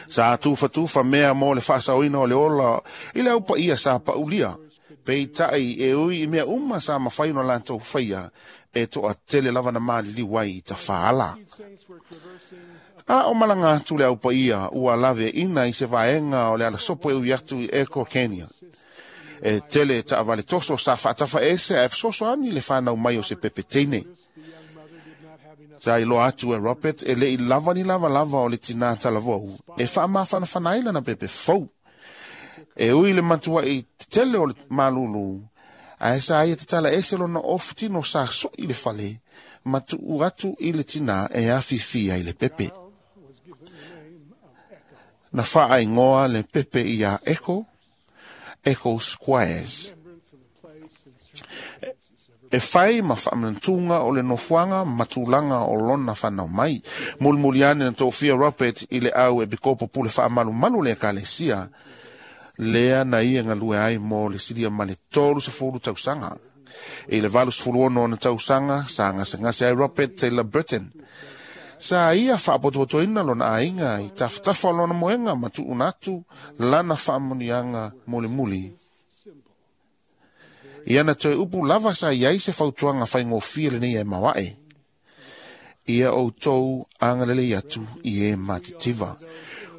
Sa tufatufa mea mo le faasaoina o le ola i le aupaia sa paulia. Peitai e ui i mea uma sa mafai ona latou faia e toatele lava na maliliu ai i tafaala. A o malaga atu le aupaia ua laveaina i se vaega o le alasopo e ui atu i Eko Kenya. E tele taavale toso sa faatafaese ae fesoasoani le fanau mai o se pepeteine. Sa iloa atu e Robert e le'i lava ni lavalava o le tinā talavou e faamafanafana ai lana pepe fou. E ui le matua'i tetele o le malulu, ae sa ia tatala ese lona ofu tino sa so'i le fale, ma tu'u atu i le tinā e afifia i le pepe. Na fa'aigoa le pepe ia Echo, Echo Squares. E fai ma faamanatuga o le nofoaga ma tulaga o lona fanau mai. Mulimuli ane na tofia Robert i le au e pikopo pule faamalumalu le ekalesia, lea na ia galue ai mo le silia ma le tolu sefulu tausaga. I le valu sefulu ono ona tausaga, sa gasegase ai Robert Taylor Burton. Sa ia faapotopotoina lona aiga i tafatafa o lona moega ma tuuna atu lana faamanuiaga mulimuli. Ia na toe upu lava sa iai se fautuaga faigofie lenei e maua'e. Ia outou agalelei atu i e matitiva.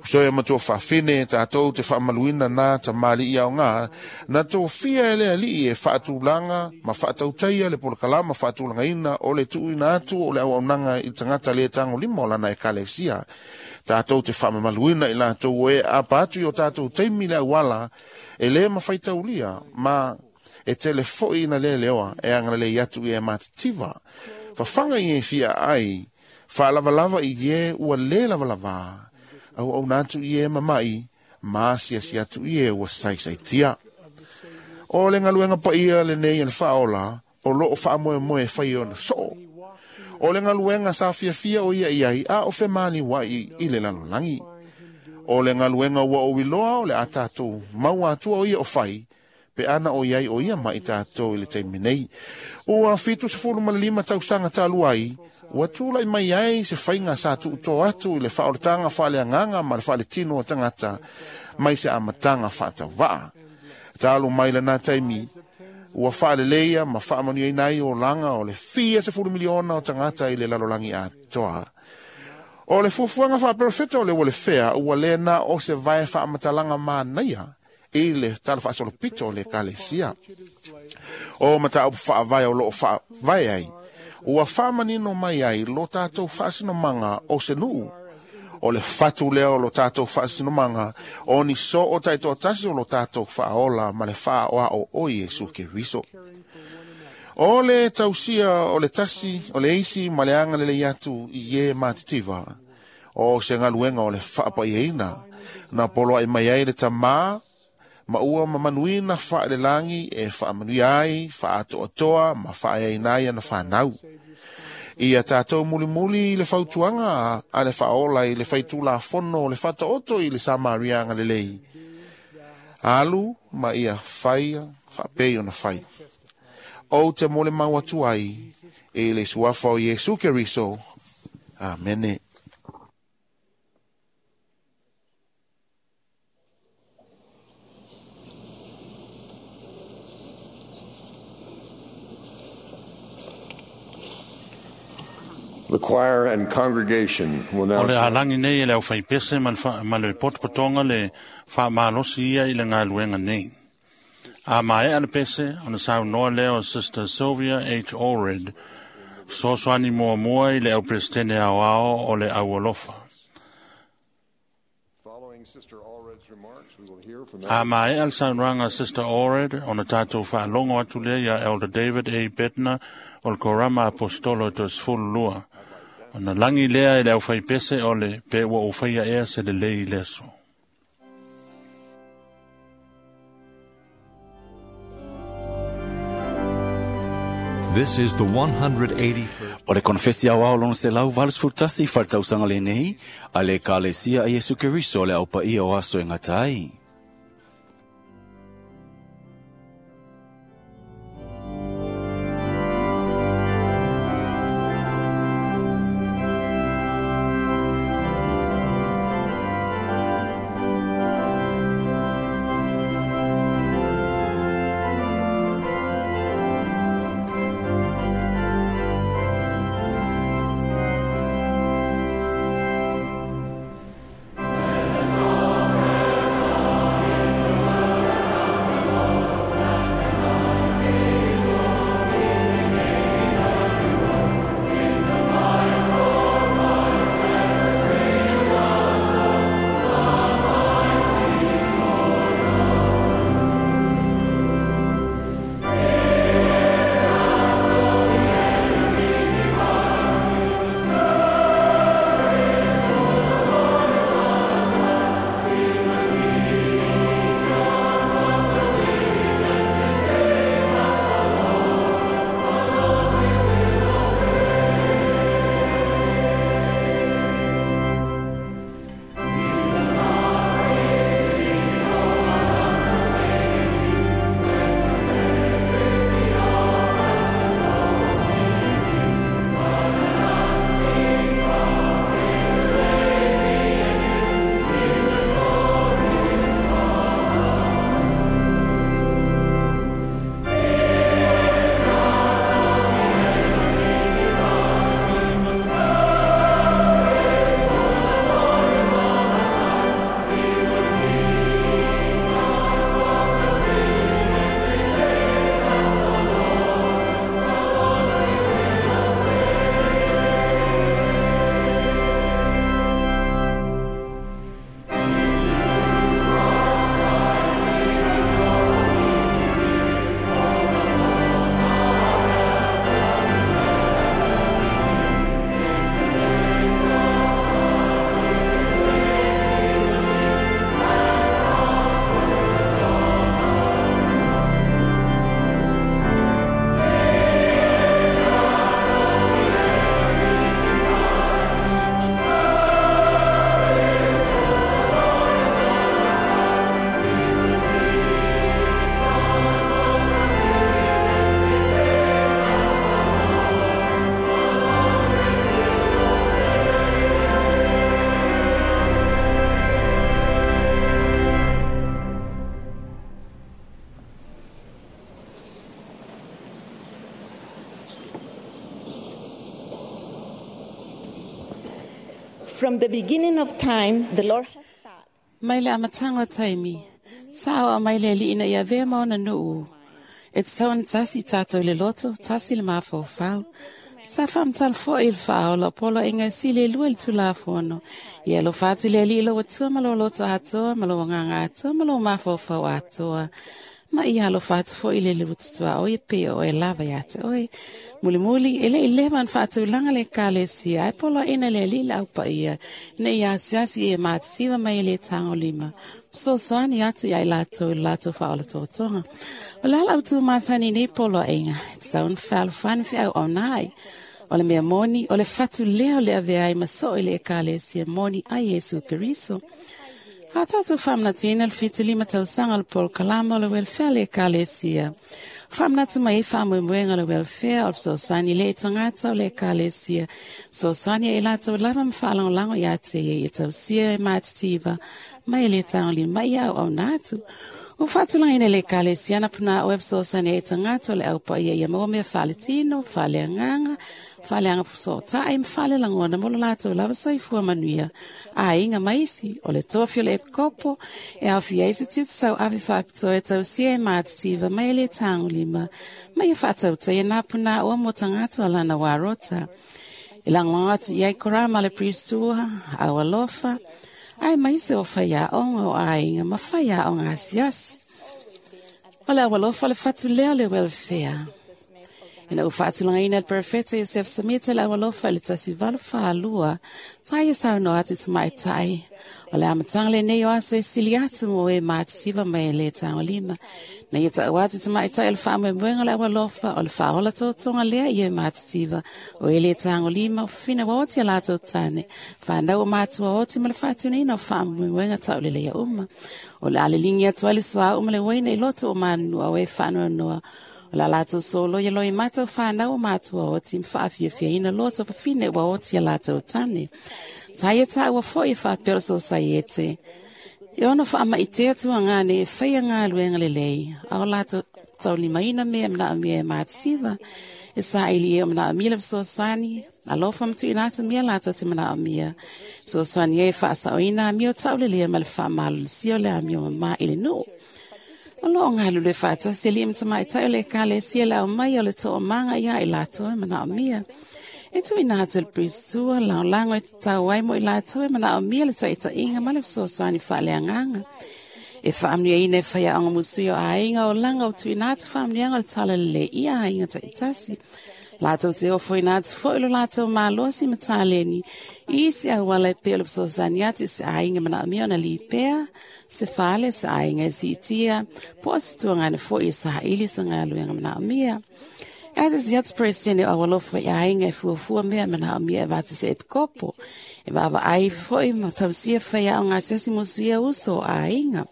Uso e matua faafine tātou te faamaluina na tamali'i aogā, na tofia e le ali'i e faatulaga ma faatautaia le polokalama faatulagaina o le tuuina atu o le auaunaga i tagata lē tagolima o lana ekalesia. Tātou te faamamaluina i latou e apa atu i o tātou taimi le auala e lē mafaitaulia ma e tele fo'i na lē leoa e agalelei atu i e matitiva. Fafaga i e fia ai, faalavalava i e ua lē lavalavā, auauna atu i e mama'i, ma asiasi atu i e ua saisaitia. O le galuega paia lenei e le faaola, o loo faamoemoe e fai ona soo. O le galuega sa fiafia o ia i ai, a o femaliua'i i le lalolagi. O le galuega ua ou iloa o le a tatou maua atua o ia o fai, pe ana o iai o ia mai tātou i le taimi nei. Ua fitu sefulu ma le lima tausaga talu ai, ua tula'i mai ai se faiga sa tu'uto atu i le faaolataga faaleagaga ma le faaletino o tagata mai se amataga faatauva'a. Talu mai lana taimi, ua faaleleia ma faamanuiaina ai olaga o le fia sefulu miliona o tagata i le lalolagi atoa. O le fuafuaga faaperofeta o le ua le fea ua lē na o se vae faamatalaga manaia i le tala faasolopito o le ekalesia. O mataupu faavae o loo faavae ai, ua faamanino mai ai lo tatou faasinomaga o se nuu. O le fatu lea o lo tatou faasinomaga, o ni soo taitoatasi o lo tatou faaola ma le faaoao o Iesu Keriso. O le tausia o le tasi, o le isi ma le agalelei atu i e matitiva, o se galuega o le faapaiaina, na poloai mai ai le tamā, ma ua mamanuina faalelagi e faamanuia ai, faatoatoa ma faaeaina ai ana fanau. Ia tātou mulimuli i le fautuaga a le faaola i le faitulafono o le faataoto i le Samaria agalelei. Alu ma ia faia faapei ona fai. Ou te mo le mau atu ai i le suafa o Iesu Keriso. Amene. The choir and congregation will O now le alangi nei e le au whaipese ma le wha- ma le potopotonga le whaamalosi ia i le ngaluenga nei. A mae a le pese, ona saunoa lea o Sister Sylvia H. Allred, sosoani mua mua i le au presidente ao ao o le au alofa. Following Sister Allred's remarks, we will hear from A mae a le saunoaga Sister Allred, ona tātou whaalongo atu lea ia Elder David A. Bednar o le Korama Apostolo to sefulu lua. Ona langi lea i le au whaipese o le pe ua o whaia ea se le lei leso. This is the one hundred eighty-first. O le konfesi au ao lona se lau valu sefulu tasi faletausaga lenei, a le ekalesia a Iesu Keriso le aupaia o aso e gata ai. Let us all press on. From the beginning of time, the Lord has taught. Mai le amataga o taimi, sa o mai le alii ina ia avea ma ona nuu. E tatau ona tasi tatou i le loto, tasi le mafaufau. Sa faamatala foʻi i le faaola o poloaiga e sili e lua i le Tulafono. Ia alofa atu i le Alii i lou Atua ma lou loto atoa, ma lou agaga atoa, ma lou mafaufau atoa. Ma ia alofa atu foʻi i le luatutuaoi e pei o oe lava iā te oe. Mulimuli, e le i leva ona faatulaga le Ekalesia, ae poloaiga le Alii le aupaia, ina ia asiasi e matisiva mai e le tagolima. Fesoasoani atu ia i latou i le latou faaolatotoga. O le ala autu masani nei poloaiga, e tatau ona fealofani feauauna ai. O le mea moni, o le fatu lea o le avea ai ma soo i le Ekalesia moni ai Iesu Keriso. A tatou faamanatuina le fitu lima tausaga o le polokalama o le welfare le Ekalesia. Faamanatu mai ai faamoemoega o le welfare o le fesoasoani le tagata o le Ekalesia. Fesoasoani e latou lava ma faalagolago ia te ia ia tausia e matitiva mai le tagolima mai ia auauna atu. O faatulagaina le Ekalesia na puna o e fesoasoani ai tagata o le aupaia ia maua mea faaletino, faaleagaga, faaleaga fesootai ma faalelagona mo lo latou lava soifua manuia. Aiga ma isi, o le tofi o le epikopo, e aofia ai se tiute sauave faapitoa e tausia e matitiva mai e le tagolima, ma ia faatautaia nā puna oa mo tagata o lana warota. E lagolago atu i ai korama le priestua, au alofa, ae maise o faiaoga o aiga ma faiaoga asiasi. O le aualofa le fatu lea o le welfare. Ina ua faatulagaina le Perofeta Iosef Samita le aualofa i le tasi valu faalua, sa ia saunoa atu i tamaitai. O le amataga lenei o aso e sili atu mo e matisiva mai e le tagolima. Na ia taʻu atu i tamaitai o le faamoemoega o le aualofa, o le faaola totoga lea ia e matitiva. O e le tagolima, o fafina ua oti a latou tane. Whanau o mātua oti ma le faatunaina o faamoemoega tauleleia uma. O le aleligi atu ai le suauu ma le uaina i loto o manua o e faanoanoa. O la latou solo ia loi mata o whanau o mātua oti ma whaafiafiaina loto fafine ua oti a latou tane. Sa ia tāua foi e whaapea o sosaiete. E ono whaamaitea tua ngane e whaia ngā luenga lelei. A o latou taulimaina mea mna mea e mātitiva. E sa ili e o mna mia le fesoasoani. Alofa matuina atu mea latou te manaomia. Fesoasoani e whaasaoina a mea o taulelea ma le whaamalolosia o le amio mama i le nuu. O loo ngalu le whaatasi li mtamaitai o le Ekalesia le au mai o le to'omaga ia i latou e manaomia. E tuuina atu le priestua, lagolago e tatau ai mo i latou e manaomia le taitaiga ma le fesoasoani faaleagaga. E faamanuiaina e faiaoga musui o aiga o laga o tuuina atu faamanuiaga o le talalelei i aiga taitasi. Latou te ofoina atu foʻi lo latou malosi ma taleni i isi auala e pei o le fesoasoani atu i se aiga manaomia ona lipea, se fale, se aiga e siitia, po o se tuagane foʻi e saili sa galuega manaomia. E asasi atu Peresetene o aualofa i aiga e fuafua mea manaomia e vata se epikopo. E vaavaai foʻi ma tausia faiaoga asiasi musuia uso o aiga.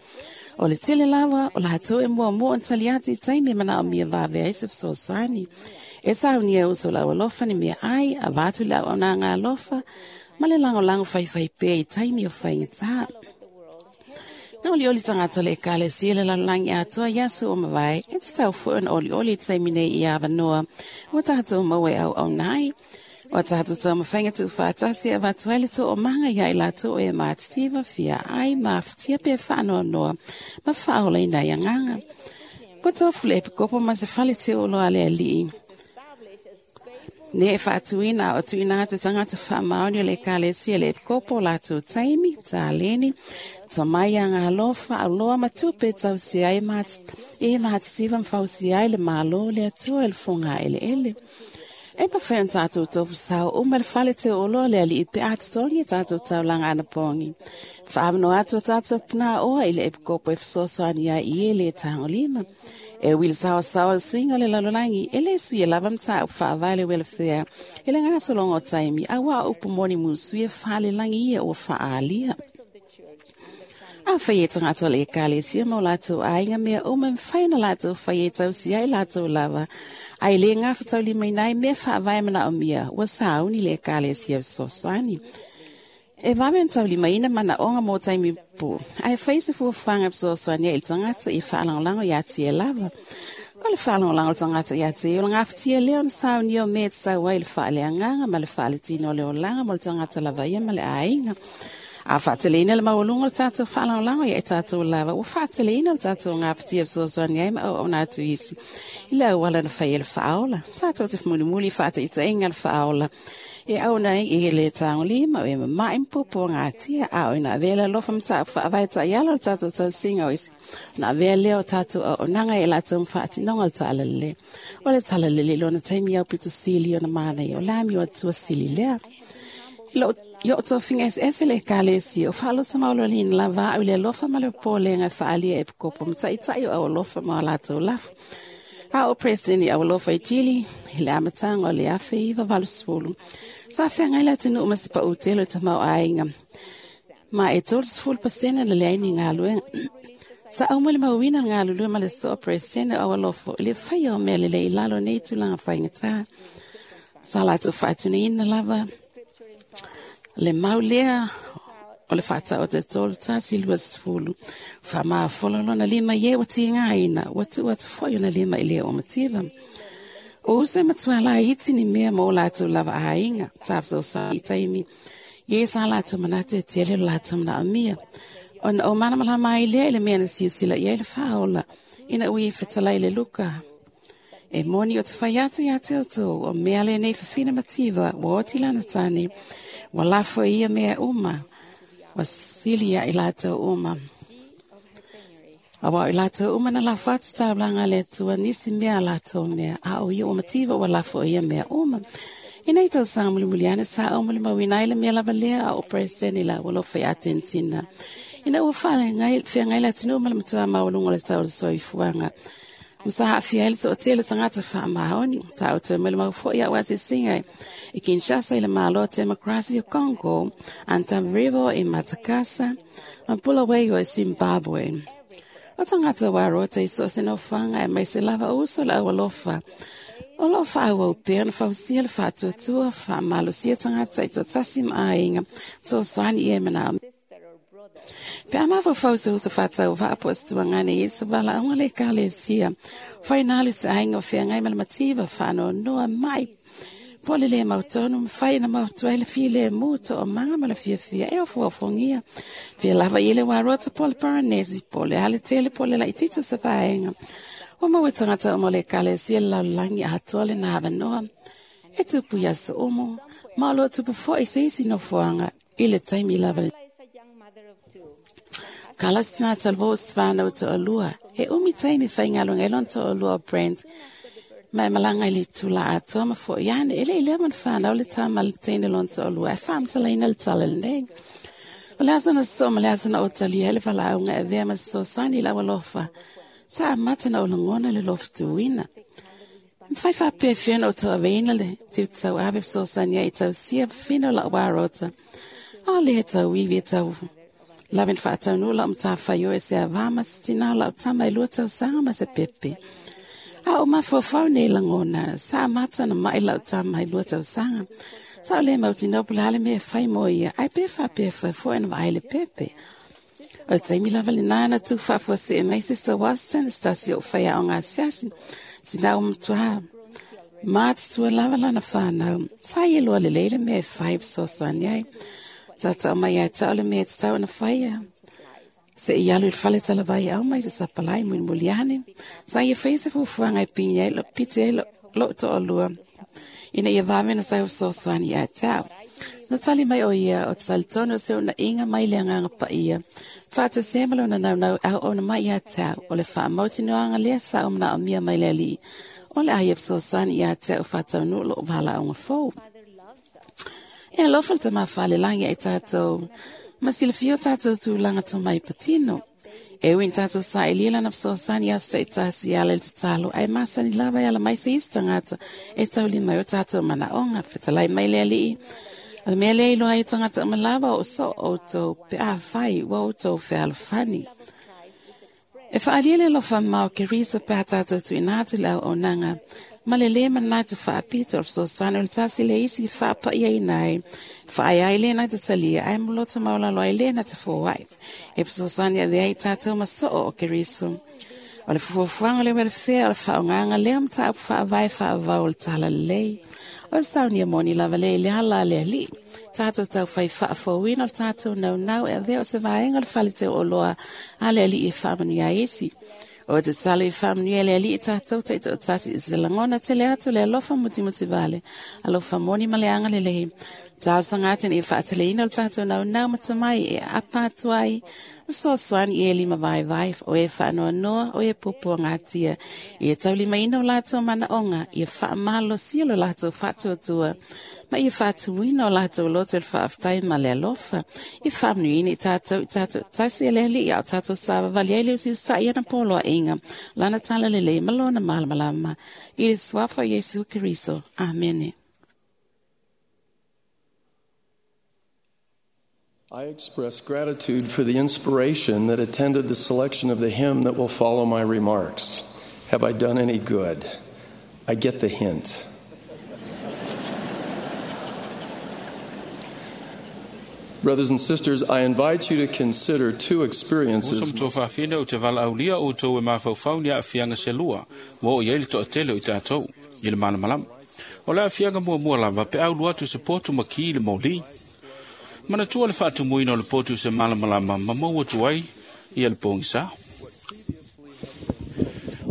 O le tele lava, o latou e muamua ona tali atu i taimi e manaomia vavea ai se fesoasoani. E saunia uso o le aualofa ni mea ai, avatu le auaunaga alofa, ma le lagolago faifai pea i taimi o faigatā. Na olioli tagata o le Ekalesia le lalolagi atoa i aso o mavae, e tatau foʻi ona olioli i taimi nei i avanoa ua tatou maua e auauna ai. O tatou taumafaiga tuufaatasi e avatu ai le toomaga ia i latou o e matitiva fia ai mafatia pe faanoanoa ma faaolaina ai agaga. Ua tofu le epikopo ma se fale teuolo a le alii. Ne e faatuina o tuuina atu tagata faamaoni o le Ekalesia le epikopo o latou taimi, taleni, tomai aga alofa, auloa ma tupe e tausia ai e matitiva ma fausia ai le Malo le Atua i le fogaeleele. E mafai ona tatou tofu sao uma le fale teuoloa le alii pe a totogi e tatou taulaga anapogi. Faamanoa atu o tatou punaoa i le epikopo e fesoasoani ai i e le tagolima. E ui le saoasaoa le suiga o le lalolagi, e le sui e lava mataupu faavae le welfare, e le gasologa o taimi, auā o upu moni musui e faalelagi ia ua faaalia. A fai e tagata o le Ekalesia ma o latou aiga mea uma e mafai ona latou fai e tausia ai latou lava, ae le gafataulimaina ai mea faavae manaomia, ua sauni le Ekalesia fesoasoani. E vave ona taulimaina manaoga mo taimi po, ae fai se fuafuaga fesoasoani ai i le tagata ia faalagolago iā tia lava. O le whaalongolanga o tangata ia te o le ngawhitia leo na sauni o me te sau ai le whaaleanganga ma le whaaletino le olanga mo le tangata lava ia ma le ainga. A whaateleina le maualunga o le tātou whaalongolanga ia e tātou lava. Ua whaateleina le tātou ngawhitia fesoasoani ai ma au au atu isi. I le auala na whai e le whaaola. Tātou te whamulimuli whaata i te inga le whaaola. E au nei i le tāngo lima o e mamae mpopo ngā tia a o ina avea le alofa ma whaavaita i ala o tātou tausinga o isi. Na avea lea o tātou au onanga e lātou mwhaatinonga o tālalele. O le tālalele lona taimi au pito sili o na mana i o lami o atua sili lea. I o tō finga ese ese le kālesi o whaalota maolo lina lava au le alofa ma le pōlenga whaalia e pukopo mataitai o au alofa ma o lātou lafu. A o president i alofa i Chile, i le amatanga o le afe i vawalusifulu. Sa whengai la tenu umasipa o telo ta mau ainga. Ma e tolu sifulu pasena le leini ngā luenga. Sa au le mauina ngā lulua ma le soa president o alofa i le whai o mea lele i lalo nei tūlanga whaingata. Sa lātou whaatuna ina lava. Le mau lea o le whata o te tolu tasi lua sifulu. Wha maa folo na lima ye wa ti ngā ina, wa tu atu fo na lima i lea o mativa. O use matua la iti ni mea mō lātou lava ainga, tāpso sa i taimi. Ye sa lātou manatu e tele lātou mana amia. O na o mana mala mai lea i le mea na siasila i le whaola, ina ui whetalai le luka. E moni o te whaiata ia te oto, o mea le nei whawhina mativa, wa oti lana tane, wa lafo ia mea uma. Wa silia i lātou uma. Awa i lātou uma na lafo atu taulanga le atua nisi mea lātou mea. A o ia o mativa wa lafo ia mea uma. I nei tau sanga mulimuliane sa au mulimauina i le mea lava lea a o preseni la walofa i Atentina. Ina ua whangai la tinu uma le matua maulunga le tau le soifuanga. Msa haafia ele so tele tangata wha maoni. Ta o te mele mau ia wa singa. I Kinshasa i le malo demokrasi o Congo, Antananarivo i Matakasa, ma Bulawayo i Zimbabwe. O tangata wa rota i so se no whanga e mai se lava uso la awalofa. O lo wha au pea na whausia le whaatuatua, wha malosia tangata i tō tasi maainga, so sani e mana. Pe a mawhawhau se usa whatau whaapo situa ngane i sa wala aunga le kālesia. Whai nālu se ainga o whiangai malamativa whano noa mai. Pole le mautonu, whai na mautua le file mūto o manga mala fia fia e o fuafongia. Fia lava i le warota pole paranesi, pole ale tele pole la itita sa whaenga. O maue tangata o mo le kālesia laulangi atoa le nāwa noa. E tupu ia sa omo, maolo tupu fo i se isi no fuanga, i le taimi lava le. Kalasina talvo svana o to'alua. E umi taimi whaingalunga elon to'alua o Brent. Mai malanga i le tula atoa ma fo iane. Ele i lea man whanau le tama le teine lon to'alua. E whaamtalaina le tala le. O le asana so ma le asana o talia ele whalaunga e vea mas so sani la walofa. Sa amata na o langona le lofa tuina. Mwhai whapea whina o toa veina le te tau abe so sani i tau sia whina la warota. O le tau iwi tau. Lavin whaatau nula o mtāwhai o e se awama se tina la o tama i lua tau sanga ma se pepe. A o mawhawhau nei langona, sa amata na mai la o tama i lua tau sanga. Sa o le mautinau pula hale mea whai mo ia, ai pewha pewha fo ena wa le pepe. O le taimi lava le nana tu whafua se e mai Sister Waston, stasi o whaia o ngā siasi, sina o mtua. Mātutua lava lana whanau, sa i lua le leile mea whai sosoani ai. Tata o mai ai tau le mea te tau na whaia. Se i alu i whale tala vai au mai se sapalai mui muliane. Sa ia whaisa fufuanga i pingi ai lo pite ai lo, lo to o lua. Ina ia vāmena sai o sosoani ai tau. Na tali mai o ia o tali tonu se o na inga mai le anganga pa ia. Whaata semalo na nau nau au o na mai ia tau. O le wha mauti noanga lea sa o mana o mia mai le ali. O le ai e sosoani ia tau whatau nu lo whala o ngā fō. E alofa le tamawhale langi ai tātou. Ma silafia o tātou tūlanga tō mai patino. E uin tātou sa e lila na fesoasoani aso ta'itasi ala i le tatalo ai masani lava e ala mai se isi tagata e taulima ai o tātou manaʻoga fetalai mai le aliʻi. O le mea lea iloa ai o tagata uma lava o so outou pe afai ua outou fealofani. E faalia le alofa mao ke Risa pe a tātou tuuina atu le auaunaga ma le lē manatu faapito o le fesoasoani o le tasi le isi faapaʻiaina ai faai ai lē na te talia ae moloto maulalo ai lē na te foai. E fesoasoani avea ai tātou ma soo o Keriso. O le fuafuaga o le welfare o le faaaogaga lea mataupu faavae faavavau o le talalelei. O le saunia moni lava lea i le ala a le Alii. Tatou taufai faafouina o le tatou naunau e avea o se vaega o le fale teuoloa a le Alii e faamanuia ai isi. O te tatalo i faamanuia le Alii tatou taitoatasi i se lagona tele atu le alofa mutimutivale, alofa moni ma le agalelei. Talosaga atu ina ia faateleina o le tatou naunau ma tamai e aapa atu ai, ma fesoasoani i e lima vaivai, o e faanoanoa, o e puapuagatia, ia taulimaina o latou manaoga, ia faamalosia lo latou faatuatua, ma ia faatumuina o latou loto i le faafetai ma le alofa, ia faamanuiaina i tatou i tatou tasi e le Alii a o tatou savavali ai le usiusitai i ana poloaiga, lana talalelei ma lona malamalama. I le suafa o Iesu Keriso. Amene. I express gratitude for the inspiration that attended the selection of the hymn that will follow my remarks. Have I done any good? I get the hint. Brothers and sisters, I invite you to consider two experiences. Uso ma fafine o te valaaulia outou e mafaufau ni aafiaga selua ua oo i ai le toatele o i tatou i le malamalama. O le aafiaga muamua lava pe aulu atu se potu ma ki i le moli. Manatua le faatumuina o le potu se malamalama ma maua atu ai ia le pogisa.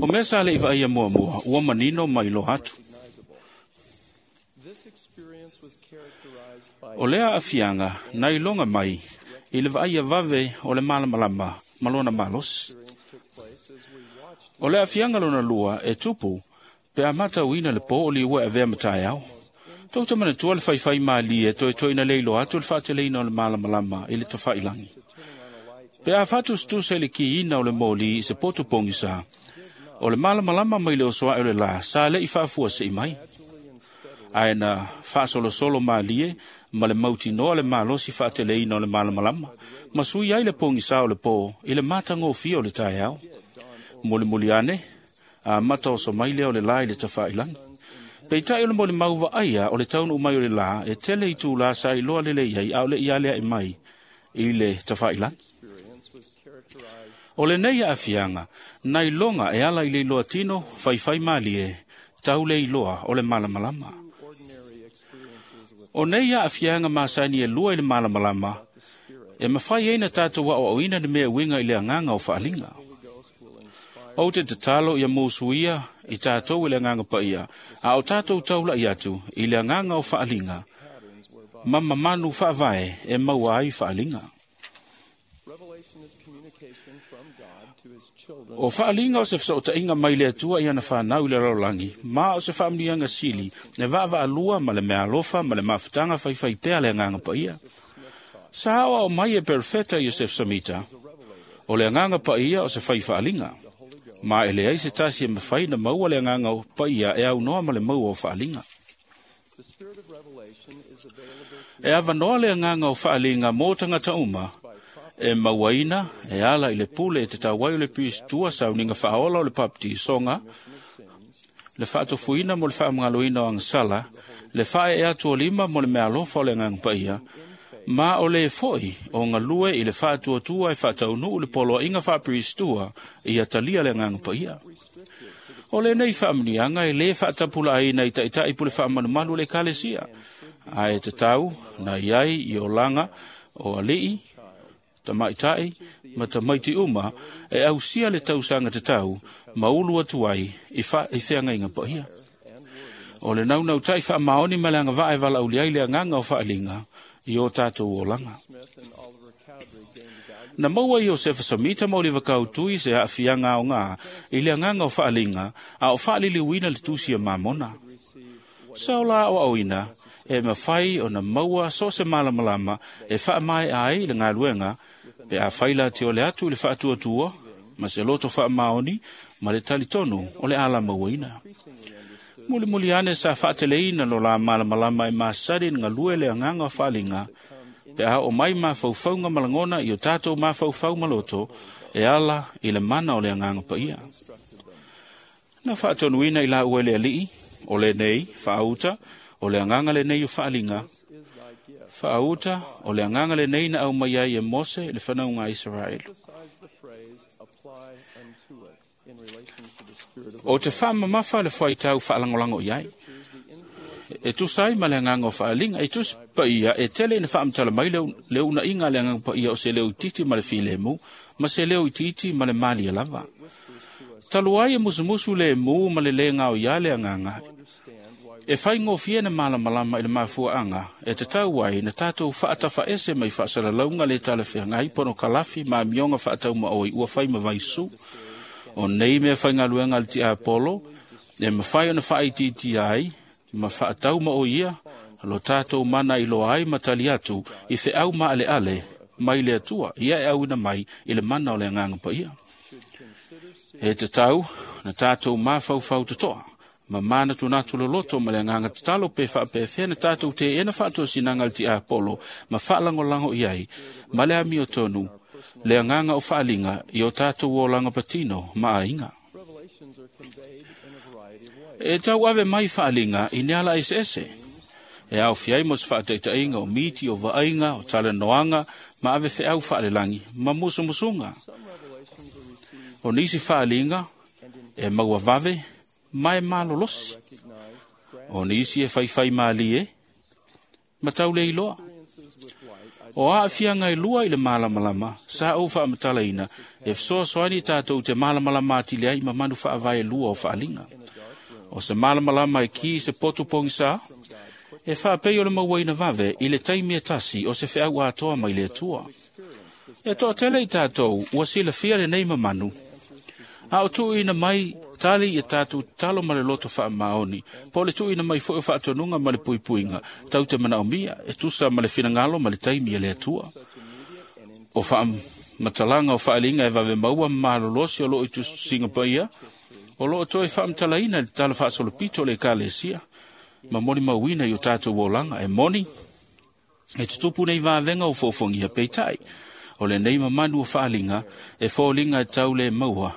O mea sa le i vaaia muamua ua manino ma iloa atu. O lea aafiaga na iloga mai i le vaaia vave o le malamalama ma lona malosi. O le aafiaga lona lua e tupu pe a matauina le po o liua e avea ma taeao. Tou te manatua le faifai malie toetoe ina le iloa atu le faateleina o le malamalama i le tafailagi. Pe a faatusatusa i le kiina o le moli i se potu pogisa, o le malamalama mai le osoae o le lā sa le'i faafuasei mai. Ae na faasolosolo malie ma le mautinoa le malosi faateleina o le malamalama, ma sui ai le pogisa o le pō i le matagofie o le taeao. Mulimuli ane, amata oso mai lea o le lā i le tafailagi. Peitai o le molimau vaaia o le taunuu mai o le lā e tele itulā sa iloa lelei ai a o le'i aleaʻe mai i le tafailagi. O lenei aafiaga na iloga e ala i le iloa tino faifai malie tau le iloa o le malamalama. O nei aafiaga masani e lua i le malamalama e mafai ai na tatou aoaoina le mea uiga i le agaga o faaliga. Ou te tatalo ia musuia i tatou i le agaga paia, a o tatou taula'i atu i le agaga o faaliga, ma mamanu faavae e maua ai faaliga. O faaliga o se fesootaiga mai le Atua i ana fanau i le lalolagi, ma o se faamanuiaga sili e vaavaalua ma le meaalofa ma le mafutaga faifaipea le agaga paia. Sa aoao mai e perofeta Iosef Samita, o le agaga paia o se fai faaliga. Ma e leai se tasi e mafai na maua le agaga o paia e aunoa ma le maua o faaliga. E avanoa le agaga o faaliga mo tagata uma, e mauaina e ala i le pule e te tauai o le piristua sauniga faaola o le papatisoga, le faatofuina mo le faamagaloina o agasala, le faaee atu o lima mo le meaalofa o le agaga paia, ma o le fo'i o galue i le faatuatua e faataunuu le poloaiga faapiristua ia talia le agaga paia. O lenei faamanuiaga e lē faatapulaaina i taʻitaʻi pule faamalumalu o le ekalesia, ae tatau na i ai i olaga o alii, tamaʻitaʻi ma tamaiti uma e ausia le tausaga tatau ma ulu atu ai i, fa, i feagaiga paia. O le naunautaʻi faamaoni ma le agavaa e valaaulia ai le agaga o faaliga i o tatou olaga. Na maua Iosefa Samita ma Oliva Kautui se aafiaga aogā i le agaga o faaliga a o faaliliuina le tusi a Mamona. Sa o la aoaoina e mafai ona maua so o se malamalama e faamaea ai le galuega pe afai la te ole atu i le faatuatua ma se loto faamaoni ma le talitonu o le alamauaina. Mulimuli ane sa faateleina lo la malamalama e masani na galue le agaga o faaliga pe a oo mai mafaufauga ma lagona i o tatou mafaufau ma loto e ala i le mana o le agaga paia. Na faatonuina i laua e le Alii, o lenei faauta o le agaga lenei o faaliga, faauta o le agaga lenei na aumai ai e Mose le fanauga a Isaraelu. O te whaamamafa le whaitau whaalangolago i ai. E tusa ai ma le agaga o faaliga, e tusi paia e tele ina faamatala mai le, le uunaiga a le agaga paia o se leo itiiti ma le filemu, ma se leo itiiti ma le malie lava. Talu ai e musumusu le mu ma le lē gaoia le agaga, e faigofie na malamalama i le mafuaaga e tatau ai na tatou faatafaese mai faasalalauga le talafeagai pono kalafi ma amioga faataumaoi ua fai ma vaisu. O nei mea faigaluega a le tiapolo e mafai ona faaitiitia ai ma faataumaoi ia lo tatou mana iloa ai ma tali atu i feau maaleale mai le Atua ia e auina mai i le mana o le agaga paia. E tatau na tatou mafaufau totoa ma manatunatu loloto ma le agaga tatalo pe faapefea na tatou teena faatosinaga le tiapolo ma faalagolago i ai ma le amiotonu le agaga o faaliga i o tatou olaga patino ma aiga. E tau ave mai faaliga i ne ala eseese. E aofia ai mo se faataitaiga o miti o vaaiga o talanoaga ma ave feau faalelagi ma musumusuga. O nisi faaliga e maua vave ma e malolosi. O nisi e faifai malie ma tau le iloa. O aafiaga e lua i le malamalama sa ou faamatalaina e fesoasoani tatou te malamalama atili ai ma manu faavae lua o faaliga. O se malamalama e ki se potu pogisa e faapei o le mauaina vave i le taimi e tasi o se feau atoa mai le Atua. E toatele i tatou ua silafia lenei mamanu, a o tuuina mai tali i tatou tatalo ma le loto faamaoni, po o le tuuina mai foi o faatonuga ma le puipuiga tau te manaomia e tusa ma le finagalo ma le taimi e le Atua. O faamatalaga o faaliga e vave maua ma malolosi o loo i tusiga paia, o loo toe faamatalaina i le tala faasolopito o le Ekalesia ma molimauina i o tatou olaga e moni e tutupu nei vavega o foofogia peitai. O lenei mamanu o faaliga e foliga e tau le maua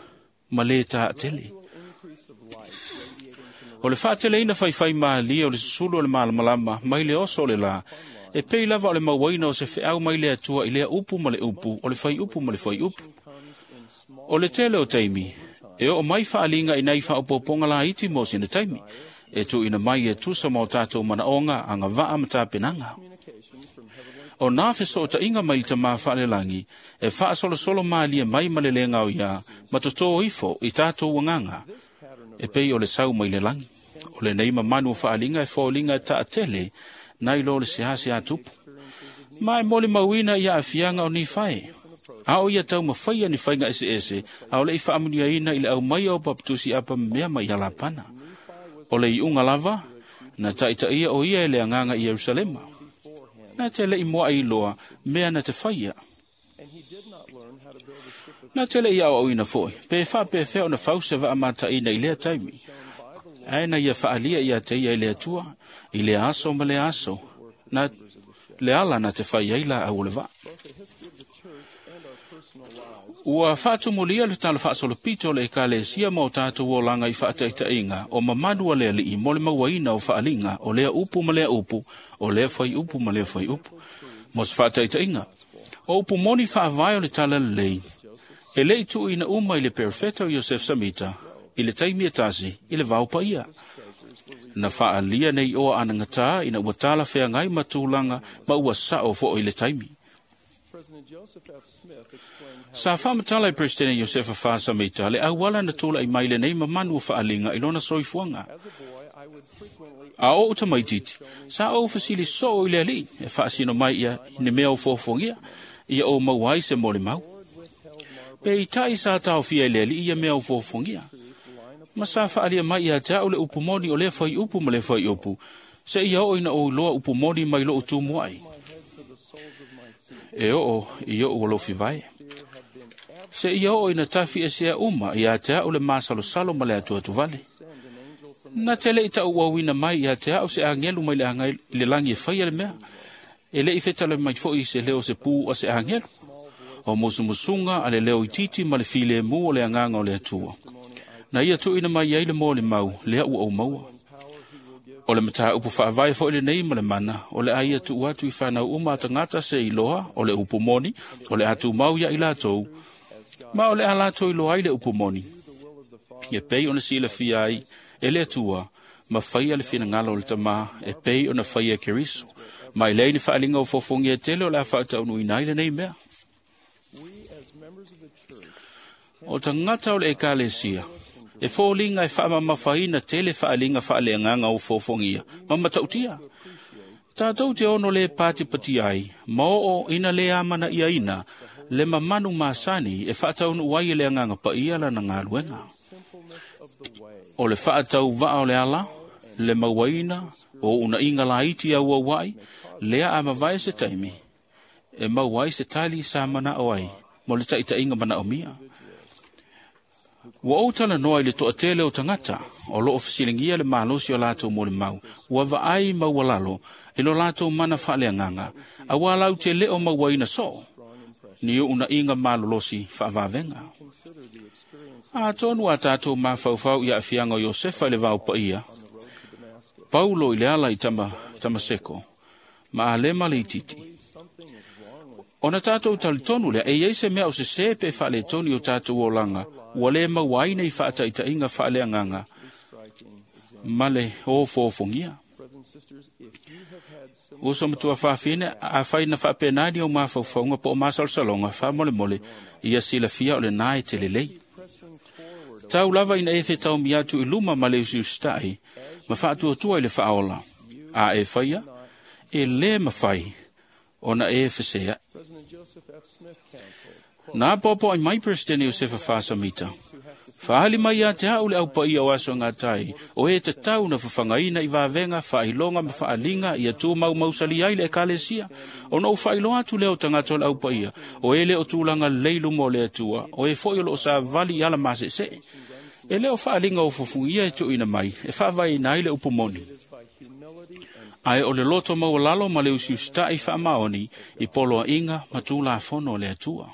ma lē taatele. O le faateleina faifai malie o le susulu o le malamalama mai le oso o le lā, e pei lava o le mauaina o se feau mai le Atua i lea upu ma le upu, o le faiupu ma le faiupu. O le tele o taimi, e oo mai faaliga i nai faaopoopoga laiti mo sina taimi, e tuuina mai e tusa ma o tatou manaoga agavaa ma tapenaga. O nā fesootaiga mai le tamā faalelagi e faasolosolo malie mai ma le lē gaoiā ma totō ifo i tatou agaga e pei o le sau mai le lagi. O lenei mamanu o faaliga e foliga e taatele nai lo le seasea tupu. Ma e molimauina ia aafiaga o Nifae. A o ia taumafaia ni faiga eseese a o le'i faamuniaina i le aumaia o papatusi apamamea mai ia Lapana. O le iuga lava na taitaia o ia e le agaga i Ierusalema. Na te le'i moa'i iloa mea na te faia. Na te le'i aoaoina foi pe faapefea ona fausa vaamataʻina i lea taimi. Ae na ia faalia ia te ia i le Atua i le aso ma le aso na le ala na te fai ai laau o le vaa. Ua faatumulia le tala faasolopito o le Ekalesia ma o tatou olaga i faataitaiga o mamanu a le Alii mo le mauaina o faaliga o lea upu ma lea upu, o lea faiupu ma lea faiupu. Mo se faataitaiga, o upu moni faavae o le tala lelei, e le'i tuuina uma i le perofeta o Iosef Samita i le taimi e tasi i le vao paia. Na faalia nei oa anagatā ina ua tala feagai ma tulaga ma ua sao fo'i i le taimi. Sa faamatala e Peresetene Iosefa Faasamita le auala na tula'i mai lenei mamanu o faaliga i lona soifuaga. A oo tamaititi, sa ou fesili soo i le Alii e faasino mai ia i ni mea o foafoagia, ia ou maua ai se molimau. Peitai sa taofia i le Alii ia mea o foafoagia. Ma sa faalia mai ia te au le upu moni o lea faiupu ma lea faiupu, seia oo ina ou iloa upu moni mai lou tumuai. E oo i o'u alofi vae. Seia oo ina tafi esea uma ia te au le masalosalo ma le atuatuvale. Na te le'i taʻuauina mai ia te au se agelu mai le aga i le lagi e faia le mea. E le'i fetale mai fo'i i se leo se pū a se agelu. O musumusuga a le leo itiiti ma le filemu o le agaga o le Atua. Na ia tuuina mai ai le molimau lea ua ou maua. O le mataupu faavae fo'i lenei ma le mana, o le a ia tuu atu i fanau uma a tagata se iloa o le upu moni, o le a tumau ia i latou, ma o le a latou iloa ai le upu moni. E pei ona silafia ai e le Atua ma faia le finagalo o le Tamā e pei ona faia e Keriso. Ma e leai ni faaaliga o fofogia e tele o le a faataunuuina ai lenei mea. O tagata o le ekalesia, e foliga e faamamafaina tele faaaliga faaleagaga o fofogia ma matautia. Tātou te ono le patipati ai, ma oo ina le amanaiaina le mamanu masani e faataunuu ai e le agaga paia lana galuega. O le faatauvaa o le ala, le mauaina o unaiga laiti auauai, lea a mavae se taimi, e maua ai se tali sa manao ai mo le taitaiga manaomia. Ua ou talanoa i le toatele o tagata o loo fesiligia le malosi o latou molimau, ua vaai maualalo i lo latou mana faaleagaga, auā lau te leo mauaina soo, ni unaiga malolosi faavavega. Atonu a tātou mafaufau i aafiaga o Iosefa i le vaopaia, Paulo i le ala i tama, Tamaseko, ma Alema le itiiti. Ona tātou talitonu lea, e iai se mea o sesē pe faaletonu o tātou olaga, ua le maua ai nei faataitaiga faaleagaga ma le ofofogia. Uso matua faafine, afai na faapena ni o mafaufauga po o masalosaloga faamolemole, ia silafia o lenā e te lelei. Tau lava ina e fetaumi atu i luma ma le usiusitai, ma faatuatua i le faaola. A e faia, e lē mafai ona e feseai. Na apoapoai mai Peresetene Iosefa Fasamita. Faali mai ia te au le aupaia o aso gatai, o e tatau na fafagaina i vavega, faailoga ma faaliga ia tumaumausali ai le ekalesia. Ona ou faailoa atu lea o tagata o le aupaia, o e le o tulaga lelei luma o le Atua, o e foi o loo savali i ala masesee. E le o faaliga o fufugia e tuuina mai, e faavaeina ai le upu moni. Ae o le loto maualalo ma le usiusitai faamaoni i poloaiga ma tulafono o le Atua.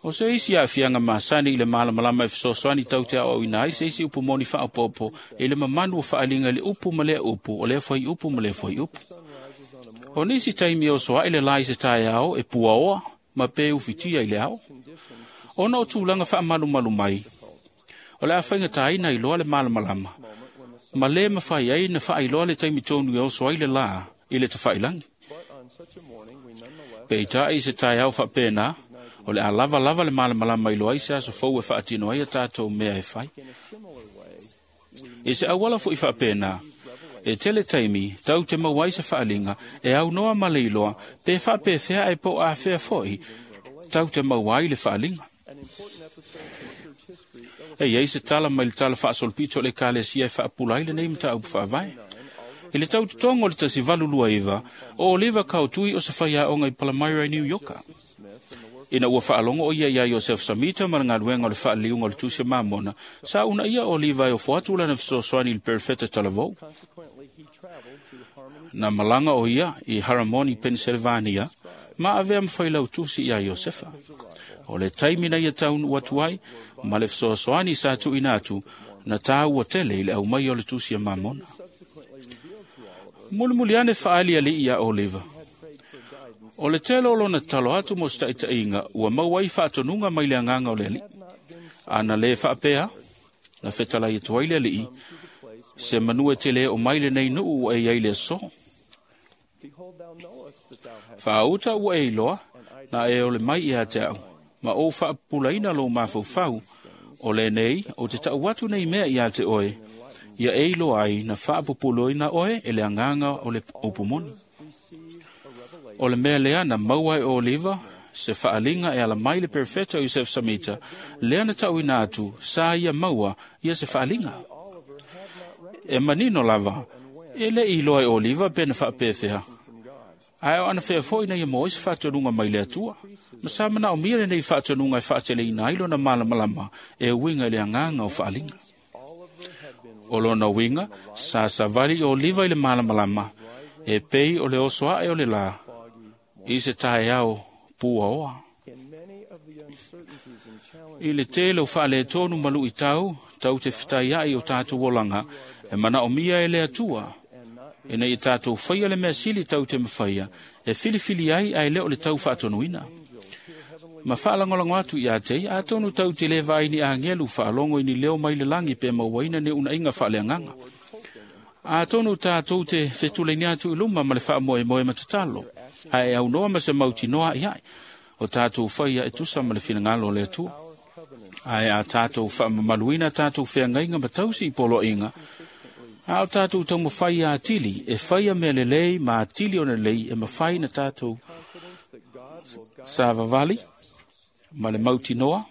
O se isi aafiaga masani i le malamalama e fesoasoani tau te aoaoina ai se isi upu moni faaopoopo i le mamanu o faaliga i le upu ma lea upu, o lea fuaiupu ma lea fuaiupu. O nisi taimi e oso ae le la i se taeao e puaoa ma pe ufitia i le ao. Ona o tulaga faamalumalu mai, o le a faigataina iloa le malamalama, ma lē mafai ai na faailoa le taimi tonu e oso ai le lā i le tafailagi. Peitai i se taeao faapena, o le a lava lava le malamalama iloa ai se aso fou e faatino ai a tātou mea e fai. I se auala fo'i faapena, e tele taimi tau te maua ai se faaliga e aunoa ma le iloa pe faapefea ae po o afea fo'i tau te maua ai le faaliga. E iai se tala mai le tala faasolopito o le ekalesia e faapula ai lenei mataupu faavae. I le tautotoga o le tasi valu lua iva, o Oliva Kautui o se faiaoga i Palmyra i New Yorka. Ina ua faalogo o ia iā Iosef Samita ma le galuega o le faaliliuga o le Tusi a Mamona, sa uunaia o Oliva e ofo atu lana fesoasoani i le perofeta talavou. Na malaga o ia i Haramoni, Pennsylvania, ma avea ma failautusi iā Iosefa. O le taimi na ia taunuu atu ai, ma le fesoasoani sa tuuina atu, na tāua tele i le aumai o le Tusi a Mamona. Mulimuli ane faaalialii iā Oliva. O le tele o lona tatalo atu mo se taitaiga ua maua ai faatonuga mai le agaga o le alii. Ana lē faapea, na fetalai atu ai le alii, se manu e tele o mai lenei nuu ua e iai le aso. Faauta ua e iloa, na e ole mai ia te au, ma ou faapupulaina lou mafaufau, o lenei o te tau atu nei mea ia te oe, ia e iloa ai na faapupuloina oe e le agaga o le upu moni. O le mea lea na maua e Oliva, se faaliga e ala mai le perofeta o Iosef Samita, lea na tauina atu sa ia maua ia se faaliga. E manino lava, e le iloa e Oliva pe na faapefea. Ae o ana fea fo'i na ia maua ai se faatonuga mai le Atua. Ma sa manaomia lenei faatonuga e faateleina ai lona malamalama e uiga i le agaga o faaliga. O lona uiga, sa savali o Oliva i le malamalama, e pei o le oso ae o le lā, i se taeao puaoa. I le tele o faaletonu ma luitau, tau te fetaiai o tātou olaga, e manaomia e le Atua, ina ia tātou faia le mea sili tau te mafaia, e filifili ai ae le o le tau faatonuina. Ma faalagolago atu ia te ia, atonu tau te le vaai ni agelu faalogo i ni leo mai le lagi pe mauaina ni unaiga faaleagaga. Atonu tatou te fetuleini atu i luma ma le faamoemoe ma tatalo, ae aunoa ma se mautinoa i ai, o tatou faia e tusa ma le finagalo o le Atua. Ae a tatou faamamaluina tatou feagaiga ma tausi i poloaiga, a o tatou taumafai atili e faia mea lelei ma atili ona lelei e mafai na tatou savavali ma le mautinoa,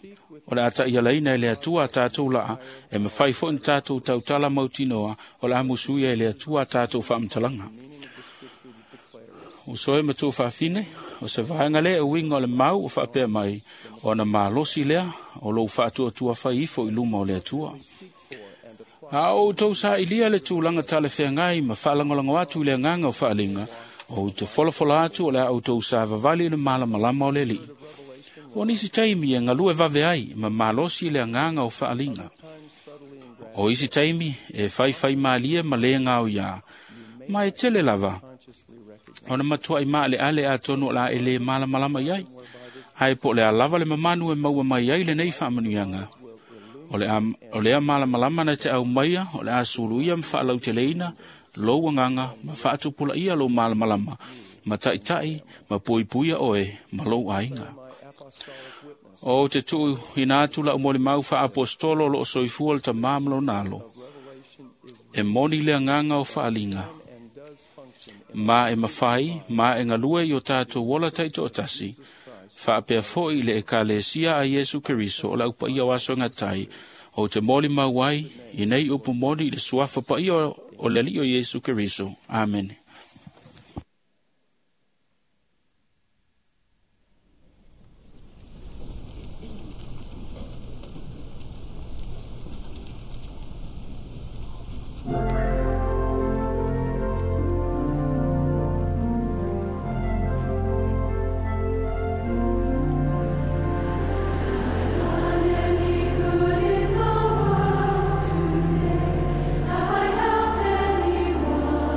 o le a ta'ialaina e le Atua a tatou la'a, e mafai fo'i na tatou tautala mautinoa, o le a musuia e le Atua a tatou faamatalaga. Uso e ma tou faafine, o se vaega lea e uiga o le mau o faapea mai, ona malosi lea o lou faatuatua fai ifo i luma o le Atua. A o outou sa'ilia le tulaga talafeagai ma faalagolago atu i le agaga o faaliga, ou te folafola atu o le a outou savavali i le malamalama o le Alii. O nisi taimi e galue vave ai ma malosi le agaga o faaliga. O isi taimi e faifaimalie ma lē gaoiā, ma e tele lava ona matua'i maaleale atonu o le a e lē malamalama i ai. Ae po o le a lava le mamanu e maua mai ai lenei faamanuiaga. O le a, o lea malamalama na te aumaia, o le a suluia ma faalauteleina lou agaga ma faatupulaia lou malamalama, ma taʻitaʻi ma puipuia oe ma lou aiga. O te tuu ina atu lau molimau faaapostolo o loo soifua le tamā ma lona alo. E moni le agaga o faaliga, ma e mafai ma e galue i o tatou ola taitoatasi, faapea fo'i i le Ekalesia a Iesu Keriso o le aupaia o aso e gatai, ou te molimau ai i nei upu moni i le suafa paia o le Alii o Iesu Keriso. Amene. Have I helped anyone?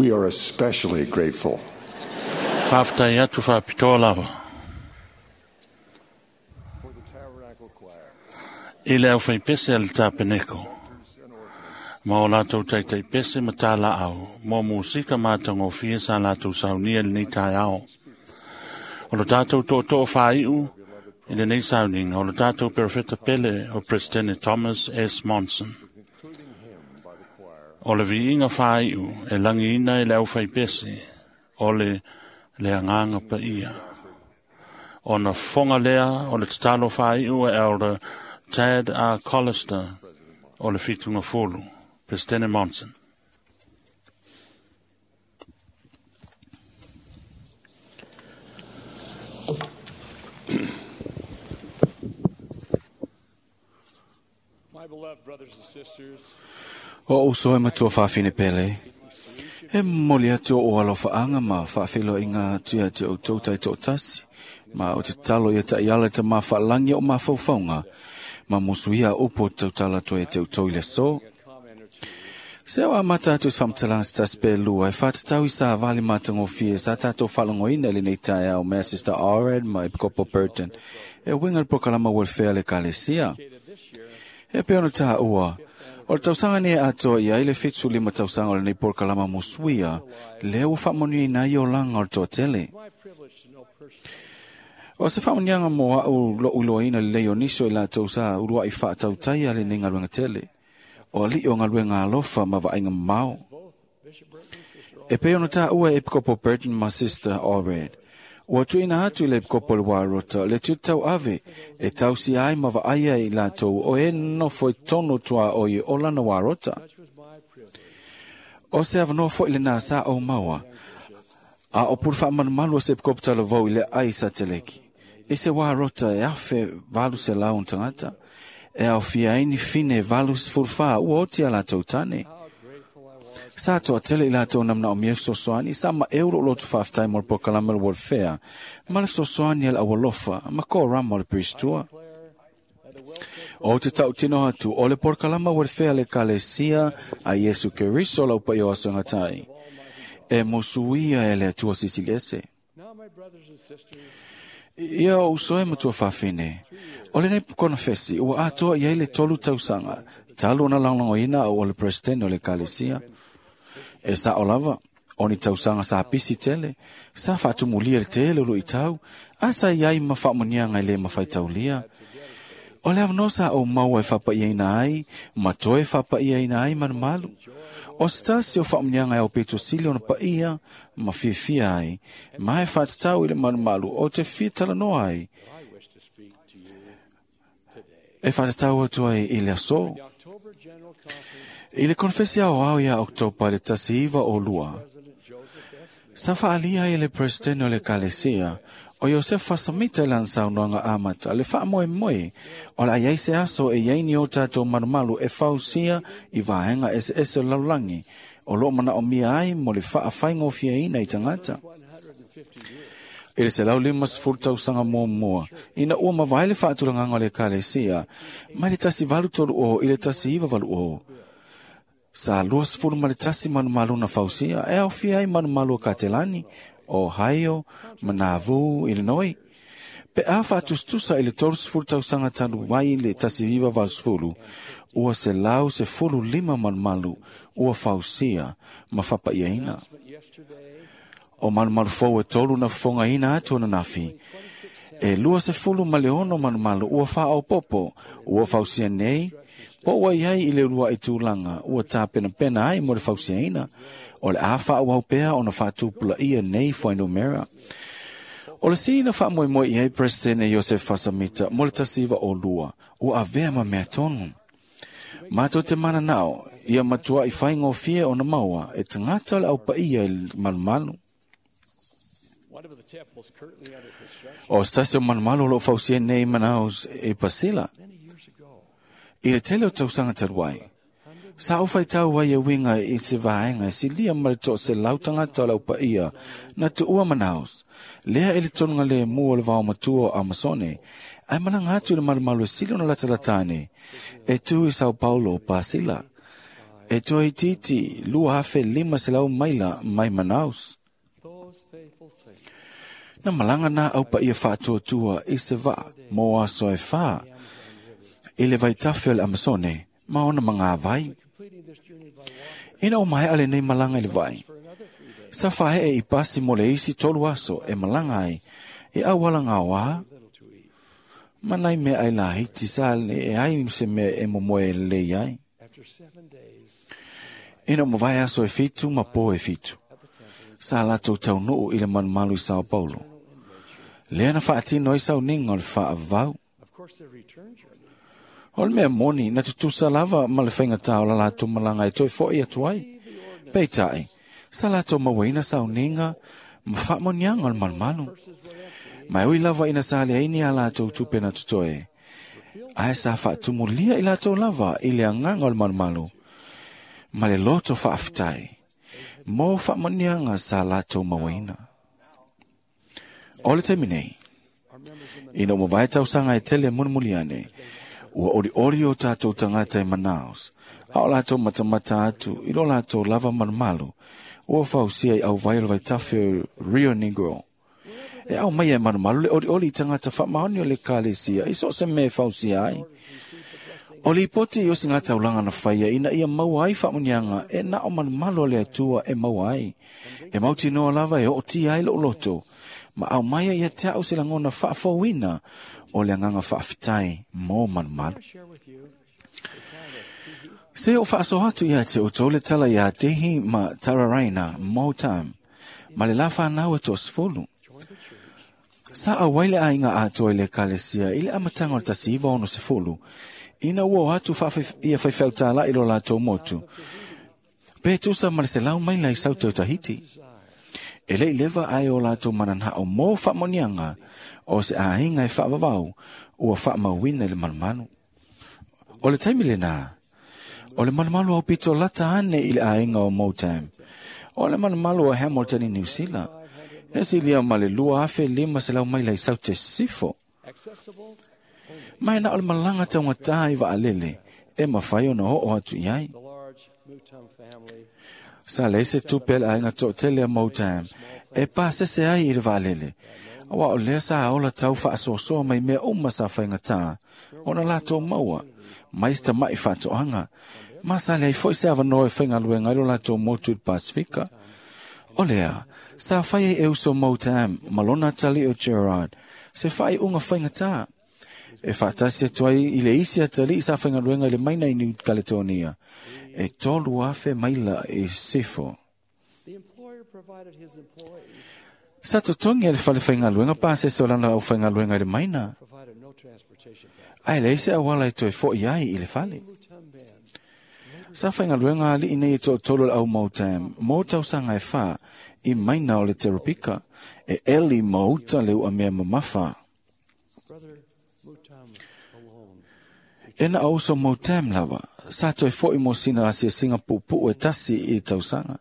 We are especially grateful. Faafetai atu faapitoa lava. I le aufaipese a le tapeneko, ma o latou taitaipese ma tālaau, mo musika matagofie sa latou saunia i lenei taeao. O lo tatou tootoo faaiu i lenei sauniga, o lo tatou perofeta pele o Presidente Thomas S. Monson. O le viiga faaiu e lagiina i le aufaipese o le le agaga paia. Ona fofoga lea o le tatalo faaiu e Elder Tad R. Collister o le Fitugafulu. Presidente Monson. My beloved brothers and sisters, O uso e matua whawhine pele. E moli atu o alofa ma whaafelo i ngā tua te o tautai tō tasi. Ma o te talo ia ta iala te mawhaalangi o mawhaufaunga. Ma musuia upo tautala toe te utoi le so. Se o a mata atu se whamtalanga se tasi pe lua, e whātatau i sa vali matangofie sa tātou whalangoina le nei tae au mea Sister Allred ma Epikopo Burton. E winga le prokalama welfare le kalesia. E pe ono tā ua. O le tausaga nei atoa ia i le fitu lima tausaga o lenei polokalama musuia, lea ua faamanuiaina ai olaga o le toatele. O se faamanuiaga mo a'u lo'u iloaina lelei o nisi o i latou sa ulua'i fa'atautaia lenei galuega tele. O ali'i o galuega alofa ma vaaiga mamao. E pei ona tāua e Epikopo Burton ma Sister Allred. Ua tuuina atu i le Epikopo le Warota le tutau ave e tausia ai ma vaaia i latou o e nofo i tonu tua o i olana Warota. O se avanoa fo'i lenā sa o maua, a o pulu faamalumalu o se Epikopo talavou i le ai sa teleki. I se Warota e afe valu se lau on tagata, e aofia ai ni fine valu sefulu fa ua oti a latou tane. Sa toa tele i latou na manaomia fesoasoani, sa maeu loo loto faafetai mo le polokalame o le welfare, ma le fesoasoani a le aualofa, ma korama o le peristua. O te tautino atu o le polokalama welfare le kalesia a Iesu Keriso lau paia o aso e gatai. E mosuia e le Atua Silisili Ese. Ia o uso e matua whawhine. O lenei konofesi, ua atoa i ai le tolu tausaga, talu ona lagolagoina au o le presidente o le kalesia. E sa o lava, o ni tausaga sa pisi tele, sa faatumulia le tele o luitau, a sa i ai ma faamanuiaga e le mafaitaulia. O le avanoa sa ou maua e faapaiaina ai, ma toe faapaiaina ai malumalu. O se tasi o faamanuiaga e aupito sili ona paia ma fiafia ai, ma e faatatau i le malumalu o te fia talanoa ai. E faatatau atu ai i le aso. I le konfesi aoao ia Oktopa le tasi iva o lua, sa faalia ai le presidente o le kalesia, o Iosefa Fasamita i lana saunoaga amata, le faamoemoe o le a iai se aso e iai ni o tatou malumalu e fausia i vaega eseese o le lalolagi, o loo manaomia ai mo le faafaigofieina i tagata. I le selau lima sefulu tausaga muamua, ina ua mavae le faatulagaga o le ekalesia, mai le tasi valu tolu o i le tasi iva valu o. Sa lua sefulu ma le tasi malumalu na fausia, e aofia ai malumalu o Katelani, Ohio, Manavu, Illinois. Pe a faatusatusa i le tolu sefulu tausaga talu ai le tasi iva valu sefulu, ua selau sefulu lima malumalu ua fausia ma faapaiaina. O malumalu fou e tolu na fofogaina atu ananafi. E lua sefulu ma le ono malumalu ua faaopopo, ua fausia nei, po ua iai i le ulua'i tulaga ua tapenapena ai mo le fausiaina, o le a faaauau pea ona faatupulaia nei fuainumera. O le sina faamoemoe i ai Presidente Iosef Fasamita mo le tasi iva o lua, ua avea ma mea tonu. Matou te mananao, ia matua'i faigofie ona maua e tagata o le aupaia i le malumalu. O se tasi o malumalu o loo fausia nei Manaus e Pasila. I le tele o tausaga talu ai, sa ou faitau ai e uiga i se vaega e silia ma le toaselau tagata o le aupaia na tuua Manaus, lea e le tonuga lemu o le vaomatua o Amasone, ae malaga atu i le malumalu e sili ona latalata ane, e tu i Sao Paulo o Pasila. E toe titi lua afe lima selau maila mai Manaus. Na malanga na au pa ia whaatuatua i se vaa mō aso e whā. I le vaitafe o le Amazone, ma ona manga vai. Ina o mai ale nei malanga i le vai. Sa whae i pasi mo le isi tolu aso e malanga ai, e awala ngā wā. Manai mea ai la hiti sa e ai se mea e momoe e lei ai. Ina o mawai aso e fitu ma po e fitu. Sa lato taunuu i le manumalu i Sao Paulo. Lea na whaatino i sau ninga o le whaavau. O le mea moni na tutusa lava ma le whaingatā o la lato malanga e toi foi atu ai. Peitai, sa lato mauaina sau ninga ma whaamonianga o le malumalu. Mai ui lava ina sa le aini a lato tupe na tutoe. Ae sa whaatumulia i lato lava i le anganga o le malumalu. Ma le loto whaaftai. Mō whaamonianga sa lato mauaina. O le taimi nei, ina ua vai tausanga e tele munumuliane, ua ori ori o tātou tangata i Manaus, a o lātou matamata atu i lo lātou lava malumalu, ua fausia i au vai o le vaitafe o Rio Negro. E au mai e malumalu le ori ori i tangata whaamaoni o le kalesia, i so se me fausia ai. O le ipoti i osi ngā taulanga na whaia ina ia maua ai whaamonianga e na o malumalu o le atua e maua ai. E mauti noa lava e o tia ai lo loto, ma au maia ia te au se langona whaafauina o le anganga whaaftai mō malumalu. Se o whaasohatu ia te o tole tala ia tehi ma tararaina mō tam, ma le la whanau e tō sfolu. Sa a waile a inga atoa i le kalesia i le amatanga o le tasi iwa ono se folu, ina ua atu ia whaiwhau i lo lātou motu. Pe tusa ma le se lau maila i saute o Tahiti. E lei lewa ai o lātou mananha o mō whaamonianga o se āhinga e whaavavau ua whaamauina i le malumalu. O le taimi le nā, o le malumalu au pito lata ane i le āhinga o Motam. O le malumalu o Hamilton i New Zealand. E silia ma le lua afe lima se lau maila i saute sifo. Mai na o le malanga taungata i vaalele, e mawhai o na ho o atu i ai. Sa le se tupe le ainga tō tele a Motam, e pāsese ai i le vaalele. Awa o lea sa aola tau whaasoasoa mai mea uma sa whaingatā, o na lātou maua, mai sta mai whaatoanga. Ma sa lea i foi se awanoa e whaingaluenga i lo lātou motu i Pasifika. O lea, sa whai e uso Motam, malona tali o Gerard, se whai unga whaingatā. E whaatasi atu ai i le isi atali i sa whaingaluenga i le maina i New Caledonia. E tolu afe maila e sefo. Sa totongi e le whale whaingaluenga pāsese o lana au whaingaluenga i le maina. Ai le isi awala e toe fo i ai i le whale. Sa whaingaluenga ali i nei e tō tolu au Motam, mō tausanga e whā i maina o le Teropika, e eli mauta le ua mea mamafa. E na auso Motam lava, sa toe foi mo sina asia singa pupu e tasi i tausanga.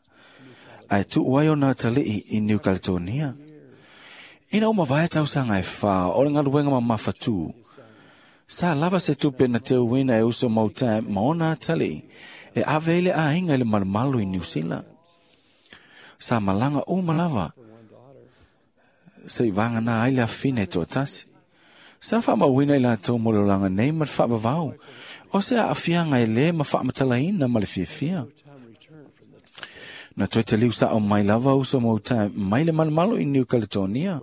Ai tu ai o nā tali'i i New Caledonia. Ina o mawai tausanga e whā, o le ngaluenga mamafa tū. Sa lava se tupe na te uina e uso Motam ma ona tali'i, e ave ile a hinga i le malumalu i New Zealand. Sa malanga o malava, se i vanga nā aile awhine tō tasi. Sa whaamauina i lātou mololanga nei ma le whaavavau, o se a awhianga e le ma whaamatalaina ma le fiafia. Na toe te liu sa o mai lava uso Motam mai le malumalu i New Caledonia.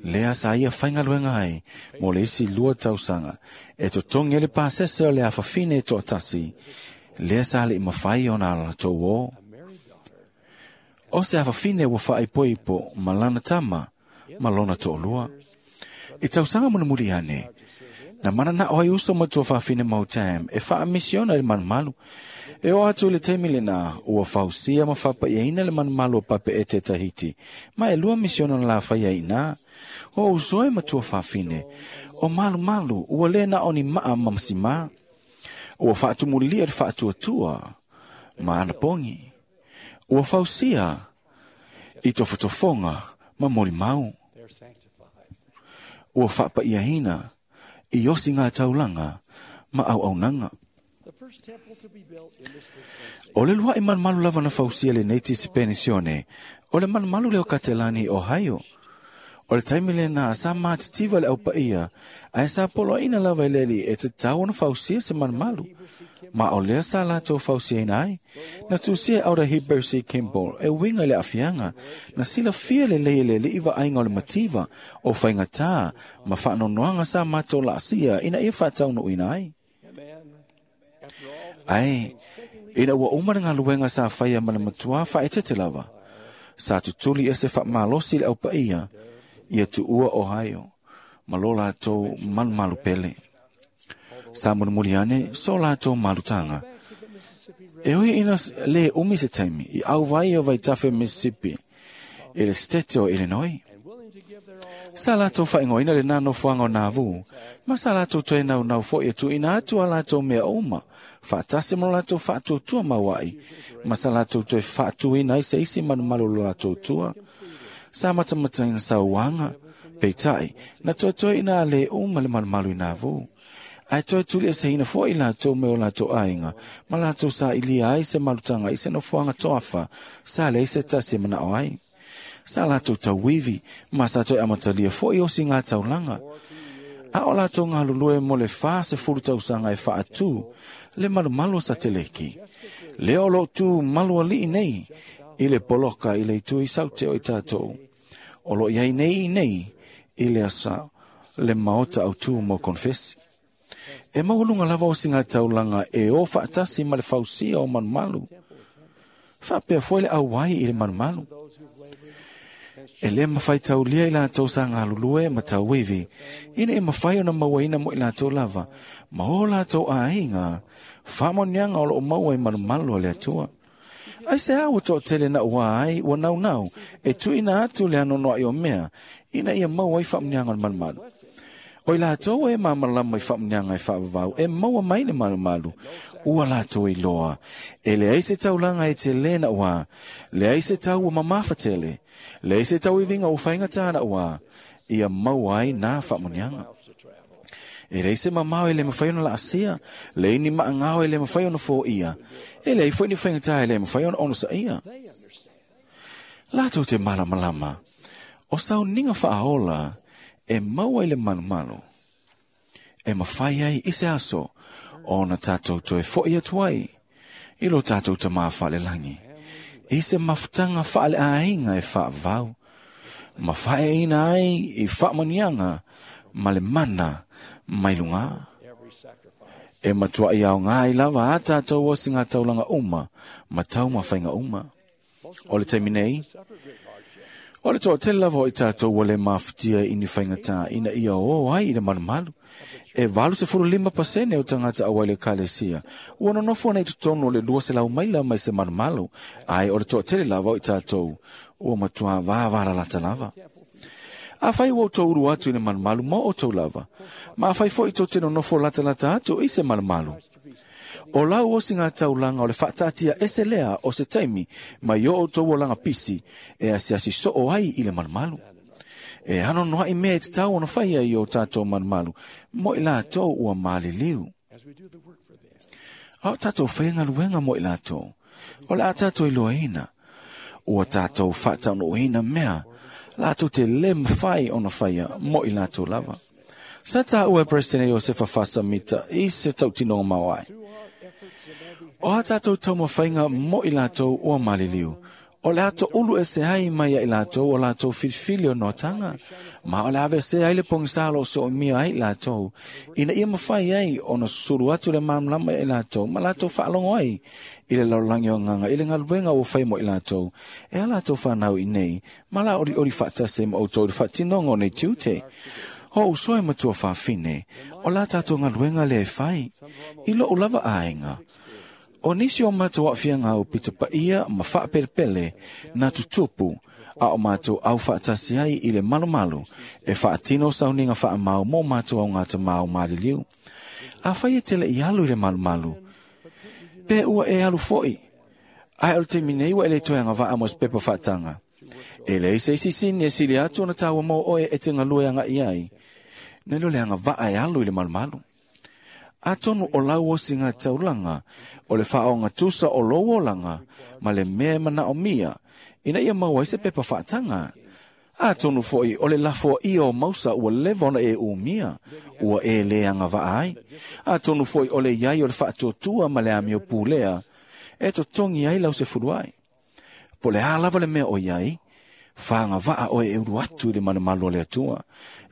Lea sa ia whaingaluenga ai, mo le isi lua tausanga, e totongi e le pāsese o le awhawhine e toatasi, lea sa le i mawhai o nā latou o. O se awhawhine ua whaaipoipo ma lana tama, ma lona to'olua. I tausanga munumuri ane, na mana na oi uso matua whawhine Motam, e whaamisiona i le malumalu. E o atu le taimi le nā, ua fausia ma whapaiaina le malumalu o pape e te Tahiti, ma e lua misiona na la whaia i nā. O usoe matua whawhine, o malumalu ua le na oni maa mamasima. Ua whaatumulia le whaatuatua, ma anapongi. Ua fausia i tofotofonga ma molimau. Ua whapaiaina i osi ngā taulanga ma au aunanga. O le lua'i malumalu lava na fausia lenei tisipenisione, o le malumalu lea o Katelani i Ohio. O le taimi lena sa matitiva le aupaia, ae sa poloaina lava e le alii e tatau ona fausia se malumalu. Ma o lea sa latou fausiaina ai. Na tusia e Elder Heber C. Kimball e uiga i le aafiaga, na silafia lelei e le alii vaaiga o le mativa, o faigatā ma faanoanoaga sa matou laasia ina ia faataunuuina ai. Ae, ina ua uma le galuega sa faia ma le matuā faaeteete lava, sa tutuli ese faamalosi le aupaia ia tuua Ohio ma lo latou malumalu pele. Sa mulimuli ane so latou malutaga. E ui ina le umi se taimi i auvai o vaitafe Mississippi i le sitete o Illinois. Sa latou faaigoaina lena nofoaga o Nauvoo, ma sa latou toe naunau foi e tuuina atu a latou mea uma, faatasi ma lo latou faatuatua mauai, ma sa latou toe faatuina ai se isi malumalu o lo latou tua. Sa matamataina sauaga, peitai, na toetoe ina a le uma le malumalu i Nauvoo. Ae toe tulieseina foi latou me o latou aiga, ma latou sailia ai se malutaga i se nofoaga toafa, sa leai se tasi e manao ai. Sa latou tauivi, ma sa toe amatalia foi osiga taulaga. A o latou galulue mo le fasefulu tausaga e faatū le malumalu o Sateleki. Lea o loo tu malualii nei i le poloka i le itu i saute o i tatou. O loo i ai nei i nei i le asa le maota autū mo konfesi. E maualuga lava osiga taulaga e o faatasi ma le fausia o malumalu. Faapea foi le auai i le malumalu. E le mafai taulia i latou sa galulue ma tauivi, ina e mafai ona mauaina mo i latou lava, ma o latou aiga, faamanuiaga o loo maua i malumalu a le Atua. Ai se a ua toatele na ua ai ua naunau e tuuina atu le anoanoai o mea, ina ia maua ai faamanuiaga o le malumalu. O i latou e malamalama i faamanuiaga e faavavau e maua mai le malumalu, ua latou iloa. E leai se taulaga e tele na ua, leai se tau ua mamafa tele, leai se tauiviga ua faigatā na ua, ia maua ai nā faamanuiaga. E leai se mamao e le mafai ona laasia, leai ni maagao e le mafai ona foia, e leai foi ni faigatā e le mafai ona onosaia. Latou te malamalama, o sauniga faaola e maua i le malumalu, e mafai ai i se aso ona tatou toe foi atu ai i lo tatou tamā faalelagi, i se mafutaga faaleaiga e faavavau, ma faaeaina ai i faamanuiaga ma le mana mai lugā. E matuai aogā ai lava a tatou osiga taulaga uma ma taumafaiga uma. O le taimi nei, o le toatele lava o i tatou ua le mafutia i ni faigatā ina ia o ai i le malumalu. E valu sefulu lima pasene o tagata auai le ekalesia ua nonofo ana i totonu o le lua selau maila mai se malumalu, ae o le toatele lava o i tatou ua matuā vavalalata lava. Afai ua outou ulu atu i le malumalu mo outou lava, ma afai foi tou te nonofo latalata atu i se malumalu, o lau osiga taulaga o le faataatia ese lea o se taimi mai o outou olaga pisi e asiasi soo ai i le malumalu. E anoanoai mea e tatau ona faia i o tatou malumalu mo i latou ua maliliu. A o tatou faia galuega mo i latou, o le a tatou iloaina, ua tatou faataunuuina mea latou te le mafai ona faia mo i latou lava. Sa taua e Peresetene Iosefa Fasamita i se tautinoga maoae. O a tatou taumafaiga mo i latou ua maliliu, o le a toulu ese ai mai ia i latou o latou filifili o noataga, ma o le aveesea ai le pogisā o lo o soomia ai i latou, ina ia mafai ai ona susulu atu le malamalama ia i latou ma latou faalogo ai i le lalolagi o agaga i le galuega ua fai mo i latou, e a latou fanau i nei, ma la olioli faatasi ai ma outou i le faatinoga o nei tiute. O uso e matua fafine, o la tatou galuega lea e fai, i lou lava aiga. O nisi o matou aafiaga au pitapaia ma faapelepele na tutupu, a o matou au faatasi ai i le malumalu e faatino sauniga faamau mo matou augatamā o maliliu. Afai e te le i alu i le malumalu, pe ua e alu foi, ae o le taimi nei ua e le toe agavaa mo se pepa faataga. E leai se isi sini e sili atu ona taua mo oe e te galue agai ai, nai lo le agavaa e alu i le malumalu. Atonu o lau osinga taulanga, o le whaonga tusa o lou olanga, ma le mea mana o mia, ina ia maua i se pepa whaatanga. Atonu foi o le lafo ia o mausa ua leva ona e umia, ua e leanga vaa ai. Atonu foi o le iai o le whaatuatua ma le amio pulea, e totongi ai lau se fuluai. Po le a lava le mea o iai, whaanga vaa oe e uru atu i le manumalu o le atua.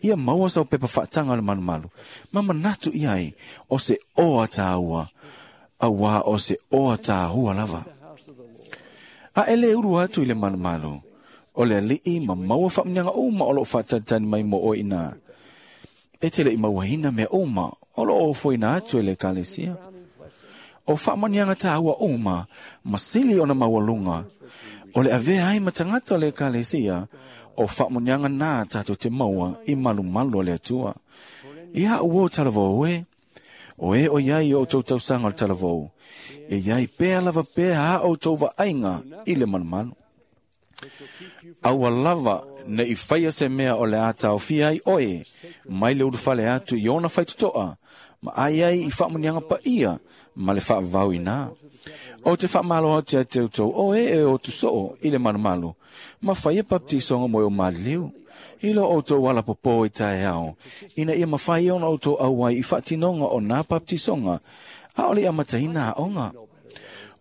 Ia maua sau pepa whaatanga o le manumalu. Ma manatu iai o se oa tāua, aua o se oa tāua lava. A ele uru atu i le manumalu, o le alii ma maua whaamnianga uma o loo whaatalitani mai mo oe ina. E te le i mauahina mea uma o loo ofoina atu e le kalesia. O whaamanianga tāua uma, masili ona maualunga, o le avea ai matangata o le kalesia, o whaamanianga nā tātou te maua i malumalu o le atua. Ia uo talavou e, o e o iai o tau tausanga o le talavou, e iai pea lava pea ha o tau vaaiga i le malumalu. Aua lava ne i whaia se mea o le ātaofia ai oe, mai le urufale atu i ona whaitotoa, ma ai ai i whaamanianga paia, ma le whaavau ina. O te whaamalo atu te utou oe e o tusoo i le malumalu, ma whaia baptisonga moe o maliliu. Ilo o tau ala popo i tae ao, ina ia mawhai ona o tau auai i whaatinonga o nā baptisonga, a ole a matahina aonga.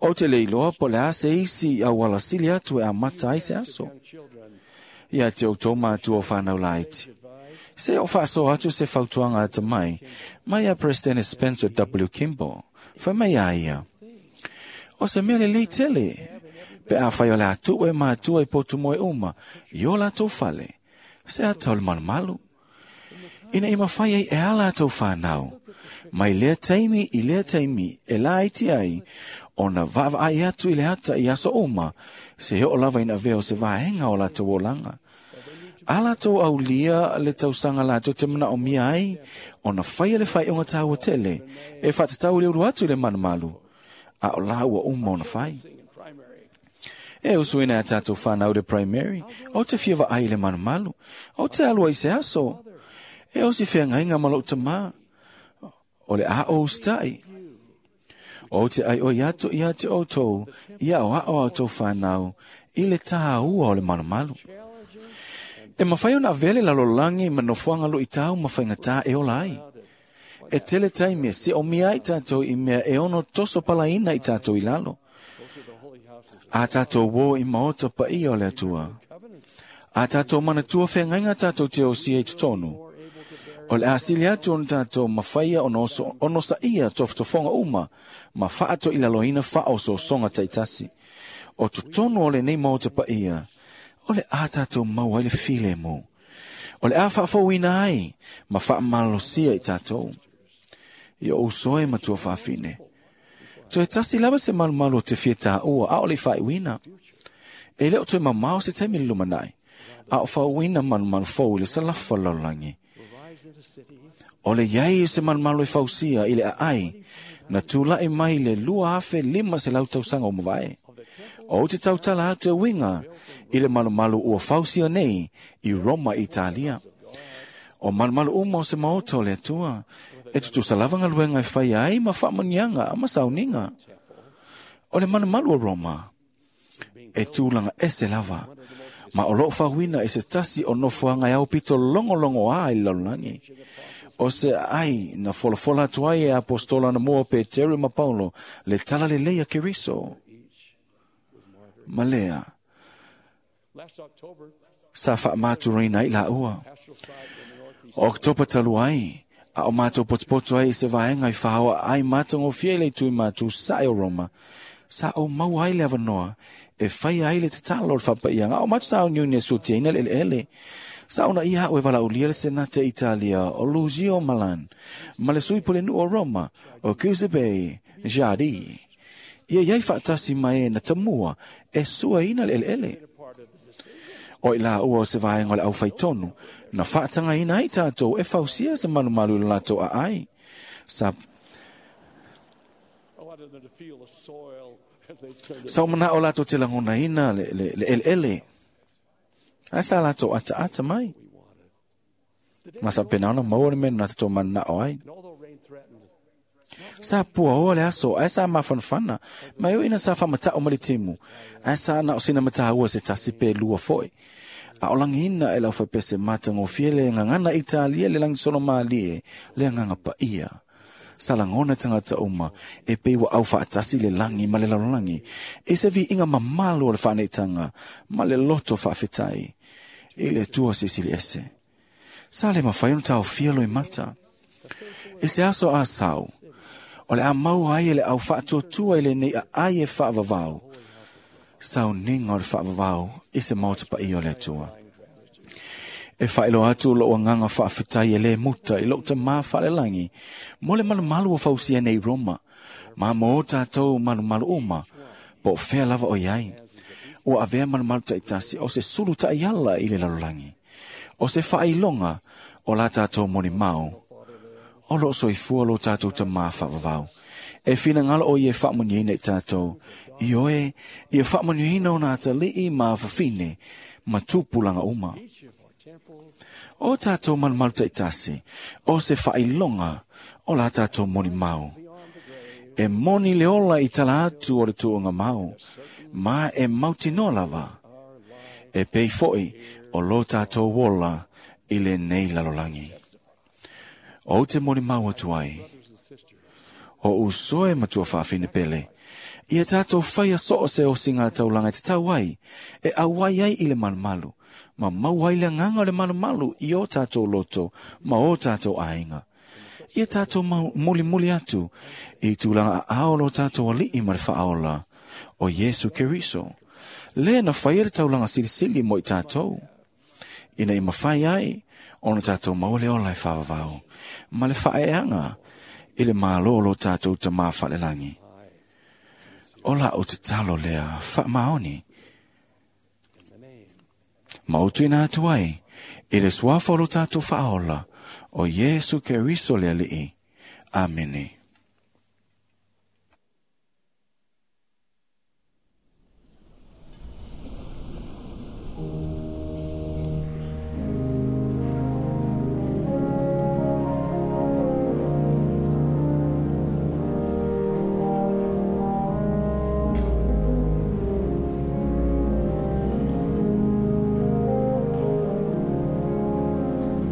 O te leiloa po le ase isi au ala sili atu e a mata ai se aso. Ia te o tō mātua o whānau laiti. Se o whaaso atu se fautuanga ata mai, mai a President Spencer W. Kimball, whai mai a ia. O se mea le lei tele, pe a whai o le atu e mātua i potu moe uma, i o la tō whale, se ata o le malumalu. Ina i mawhai ai e ala tō whānau, mai lea taimi i lea taimi e la iti ai, ona vaavaai atu i le ata i aso uma, se heo lava ina veo se vaenga o latou olanga. A latou aulia le tausanga latou te mana o mia ai, ona whaia le whai onga tāua tele, e whatatau le uru atu i le manumalu, a o la ua uma ona whai. E usuina a tātou whanau le primary, o te fia vaai le manumalu, o te alua i se aso, e o si whengainga malo tamā, o le a o ustai. O te ai o iato ia te o tau, ia o ao au tau whanau, i le tāua o le malumalu. E mawhai ona vele lalolangi ma nofuanga lo i tau mawhainga tā e ola ai. E tele taimi se o mia i tātou i mea e ono toso palaina i tātou i lalo. A tātou wo i maota pa ia o le atua. A tātou manatua whengainga tātou te o si e tutonu. O le asili atu ona tātou mawhaia ono, ono sa ia tofotofonga uma, ma whaato i laloina wha o sosonga taitasi. O tutonu o le nei maota pa ia, o le a tātou maua i le file mō. O le a whaafauina ai, ma whaamalosia i tātou. I o usoe matua whaafine. Toe tasi lava se malumalu o te fia tāua, a o le whaiwina. E leo toe mamao se taimi le lumanai, a o whauina malumalu fau i le salafa lalolangi. O le iai o se malumalu e fausia i le aai, na tūlai mai le lua afe lima se lau tausanga o mavae. O te tautala atu e winga i le malumalu ua fausia nei i Roma, Italia. O malumalu uma o se maoto o le atua, e tutusa lava ngaluenga e whai ai ma whaamanianga a masauninga. O le malumalu o Roma, e tūlanga ese lava, ma o loo whawina e se tasi o nofoanga e au pito longo longo a i lalolagi. O se ai na folafola atu ai e apostola na mua Peteru ma Paulo le tala le leia Keriso. Ma lea, sa whaamaturina i la ua. O Oktopa talu ai, a o mātou potopoto ai i se vaenga i whahawa ai mātongo fia le tui mātou sa e o Roma. Sa o mau ai le avanoa, e whai ai le tatalo o le whapaianga. O mātou sa o niu ni sutia ina le ele. Sa ona iha o e vala ulia le Senate Italia, o Lucio Malan, ma le sui pole nu o Roma, o Giuseppe Giardi. Ia iai whaatasi mai e na tamua, e sua ina le ele ele. O i la ua o se vaenga o le au whaitonu, na whaatanga ina ai tātou e fausia se malumalu le latou a ai. Sa Sa o mana o latou te langona ina le, le, le ele ele. Ai sa latou ata ata mai. Ma sa pena ona maua le mena na tatou mana o ai. Sa pua oa le aso, ae sa mafanafana, ma e ina sa whamatao ma le timu, ae sa na o sina mataua se tasi pe lua foi. A o langina e lau whaipese mata ngofie le ngangana Italia le langi solo malie le nganga pa ia. Sa langona tangata uma e pe ua au whaatasi le langi ma le lalolagi. E se vi inga mamalu o le whaneitanga ma le loto whaafetai. I le tua sisili ese. Sa le mawhai ona tau fia loi mata. E se aso a sau. O le a mau ai e le au whaatuatua i le nei a ai e whaavavau. Sau ninga o le whaavavau i se maota pa i o le atua. E whaelo atu lo anganga whaafetai e le muta i lo ta mā whaalelangi. Mo le malumalu o fausia nei Roma. Ma mō tātou malumalu uma. Po whea lava o iai. O avea malumalu taitasi o se sulu ta'iala i le lalolagi. O se whailonga o la tātou moni mau. O lo soifua lo tātou ta mā whaavavau. E whina ngalo o i e whaamuniina i tātou. I oe, i e whaamuniina o nā tali'i mā whawhine, ma tupulanga uma. O tātou malumalu taitasi, o se whailonga o la tātou moni mau. E moni le ola i tala atu o le tuunga mau, ma e mautinoa lava. E pei foi o lo tātou wola i le nei lalolagi. O te moni mau atu ai. O usoe matua whaafine pele. Ia tātou whaia so o se o singa taulanga te tau ai, e awai ai i le malumalu, ma mau ai le nganga o le malumalu i o tātou loto, ma o tātou ainga. Ia tātou mau muli muli atu, i tūlanga a ao lo tātou ali'i ma le whaaola, o Yesu Keriso. Le na whaia le taulanga silisili mo i tātou. Ina i mawhai ai, ona tātou maule ola e whaavavau, ma le whaeanga, i le mālo lo tātou ta mā whalelangi. O la o te talo lea, wha maoni. Mautu ina atu ai, i le suafa lo tātou whaola, o Yesu Keriso le ali'i. Amene.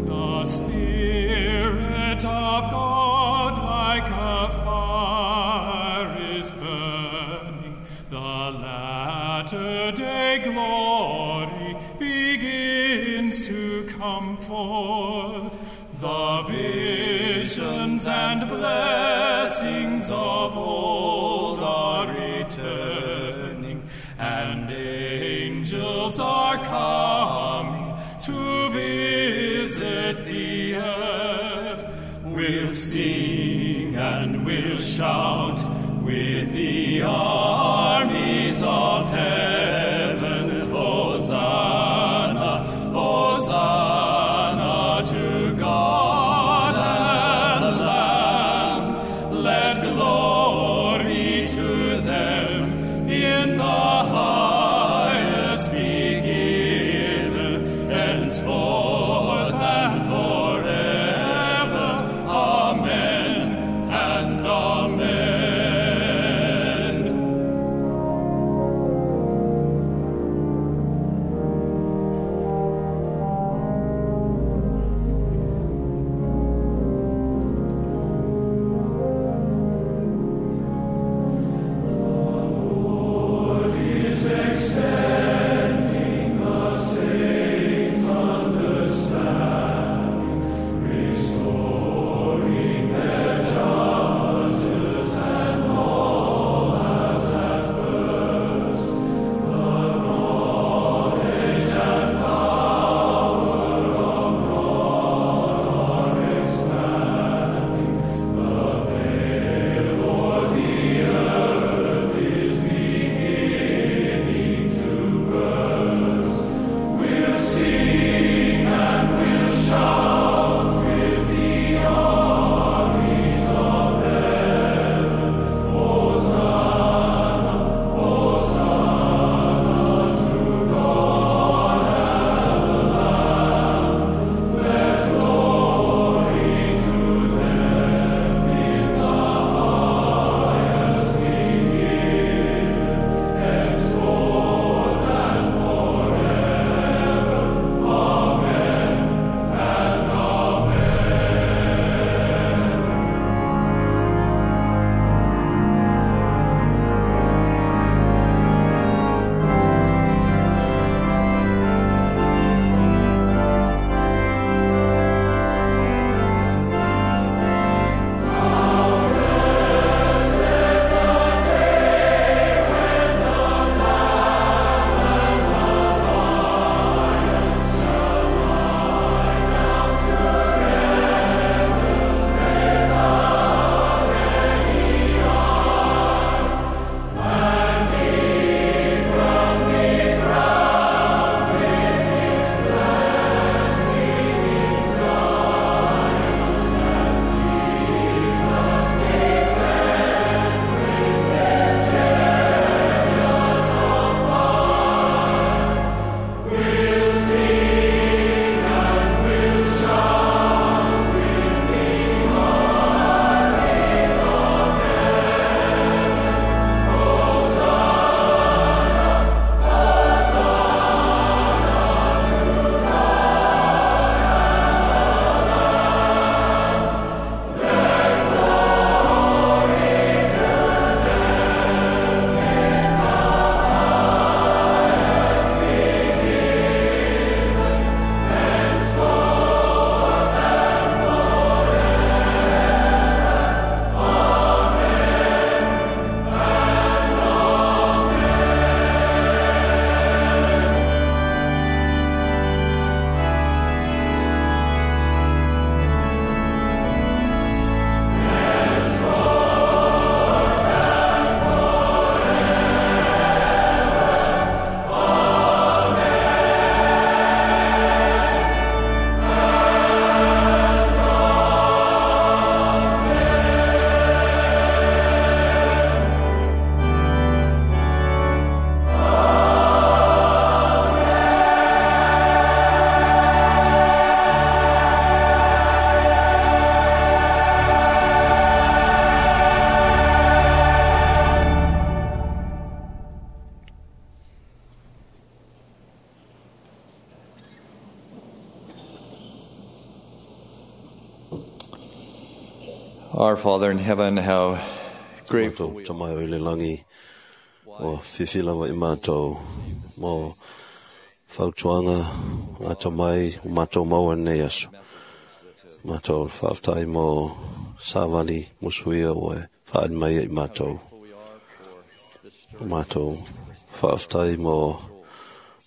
The Spirit of God like a fire is burning. The latter-day glory begins to come forth. The visions and blessings of old are returning, and angels are coming to visit the earth. We'll sing and we'll shout with the armies of heaven. Hosanna, Hosanna to God and the Lamb. Let glory to them in the highest be given, henceforth and forever. Amen and amen. Our Father in heaven, how grateful we are. Mai o le langi o fifi lava i mātou mo fautuanga ata mai o mātou maua nei aso. Mātou whaaftai mo sāvali musuia o e whaad mai i mātou. Mātou whaaftai mo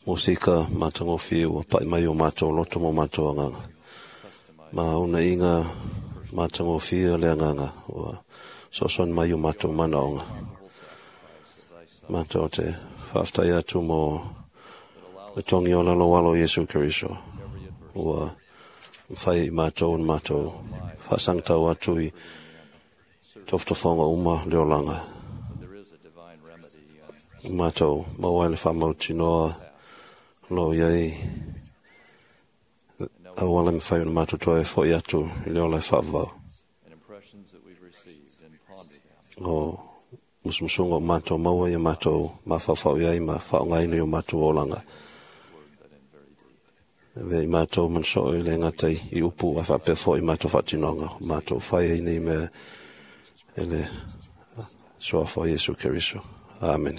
musika mātangofi o pai mai o mātou loto mo mātou anganga. Ma una inga mātangofi le anganga o soson mai o mātou manaonga. Mātou te whaaftai atu mo le tongi o lalo walo Yesu Keriso. Ua mwhai i mātou un mātou whaasangtau atu i toftofonga uma le olanga. Mātou mawai le whamau tinoa lo iai awala mwhai un mātou toi fo i atu i le ola e whaavau. O musumusunga o mātou maua i mātou mawhawhau iai ma whaongaina i o mātou olanga. Ve i mātou manso i le ngatai i upu a whapefo i mātou whatinonga. Mātou whai i nei mea e le soafa Yesu Keriso. Amen.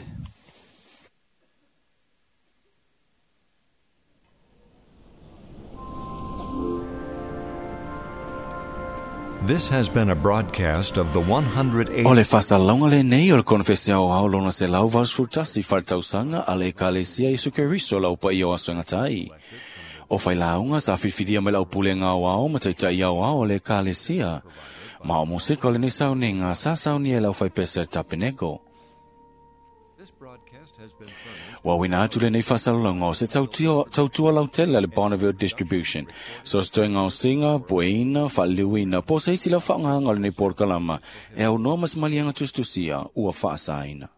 This has been a broadcast of the one hundred eighty O le fasalauga lenei o le konefesi aoao lona selau valusefulutasi faaletausanga a le Ekalesia Iesu Keriso lau paia o aso e gatai. O failauga sa filifilia mai le aupulega aoao ma taita'i aoao o le Ekalesia. Ma o moseka o lenei sauniga sa saunia e le aufaipese a le Tapeneko. Ua uina atu lenei faasalalauga o se tautua lautele a le Bonneville Distribution. So se toega o siga, pueina, faaliliuina, po o se isi lau faaaogāga o lenei polokalama e aunoa ma se maliega tusitusia ua faasaina.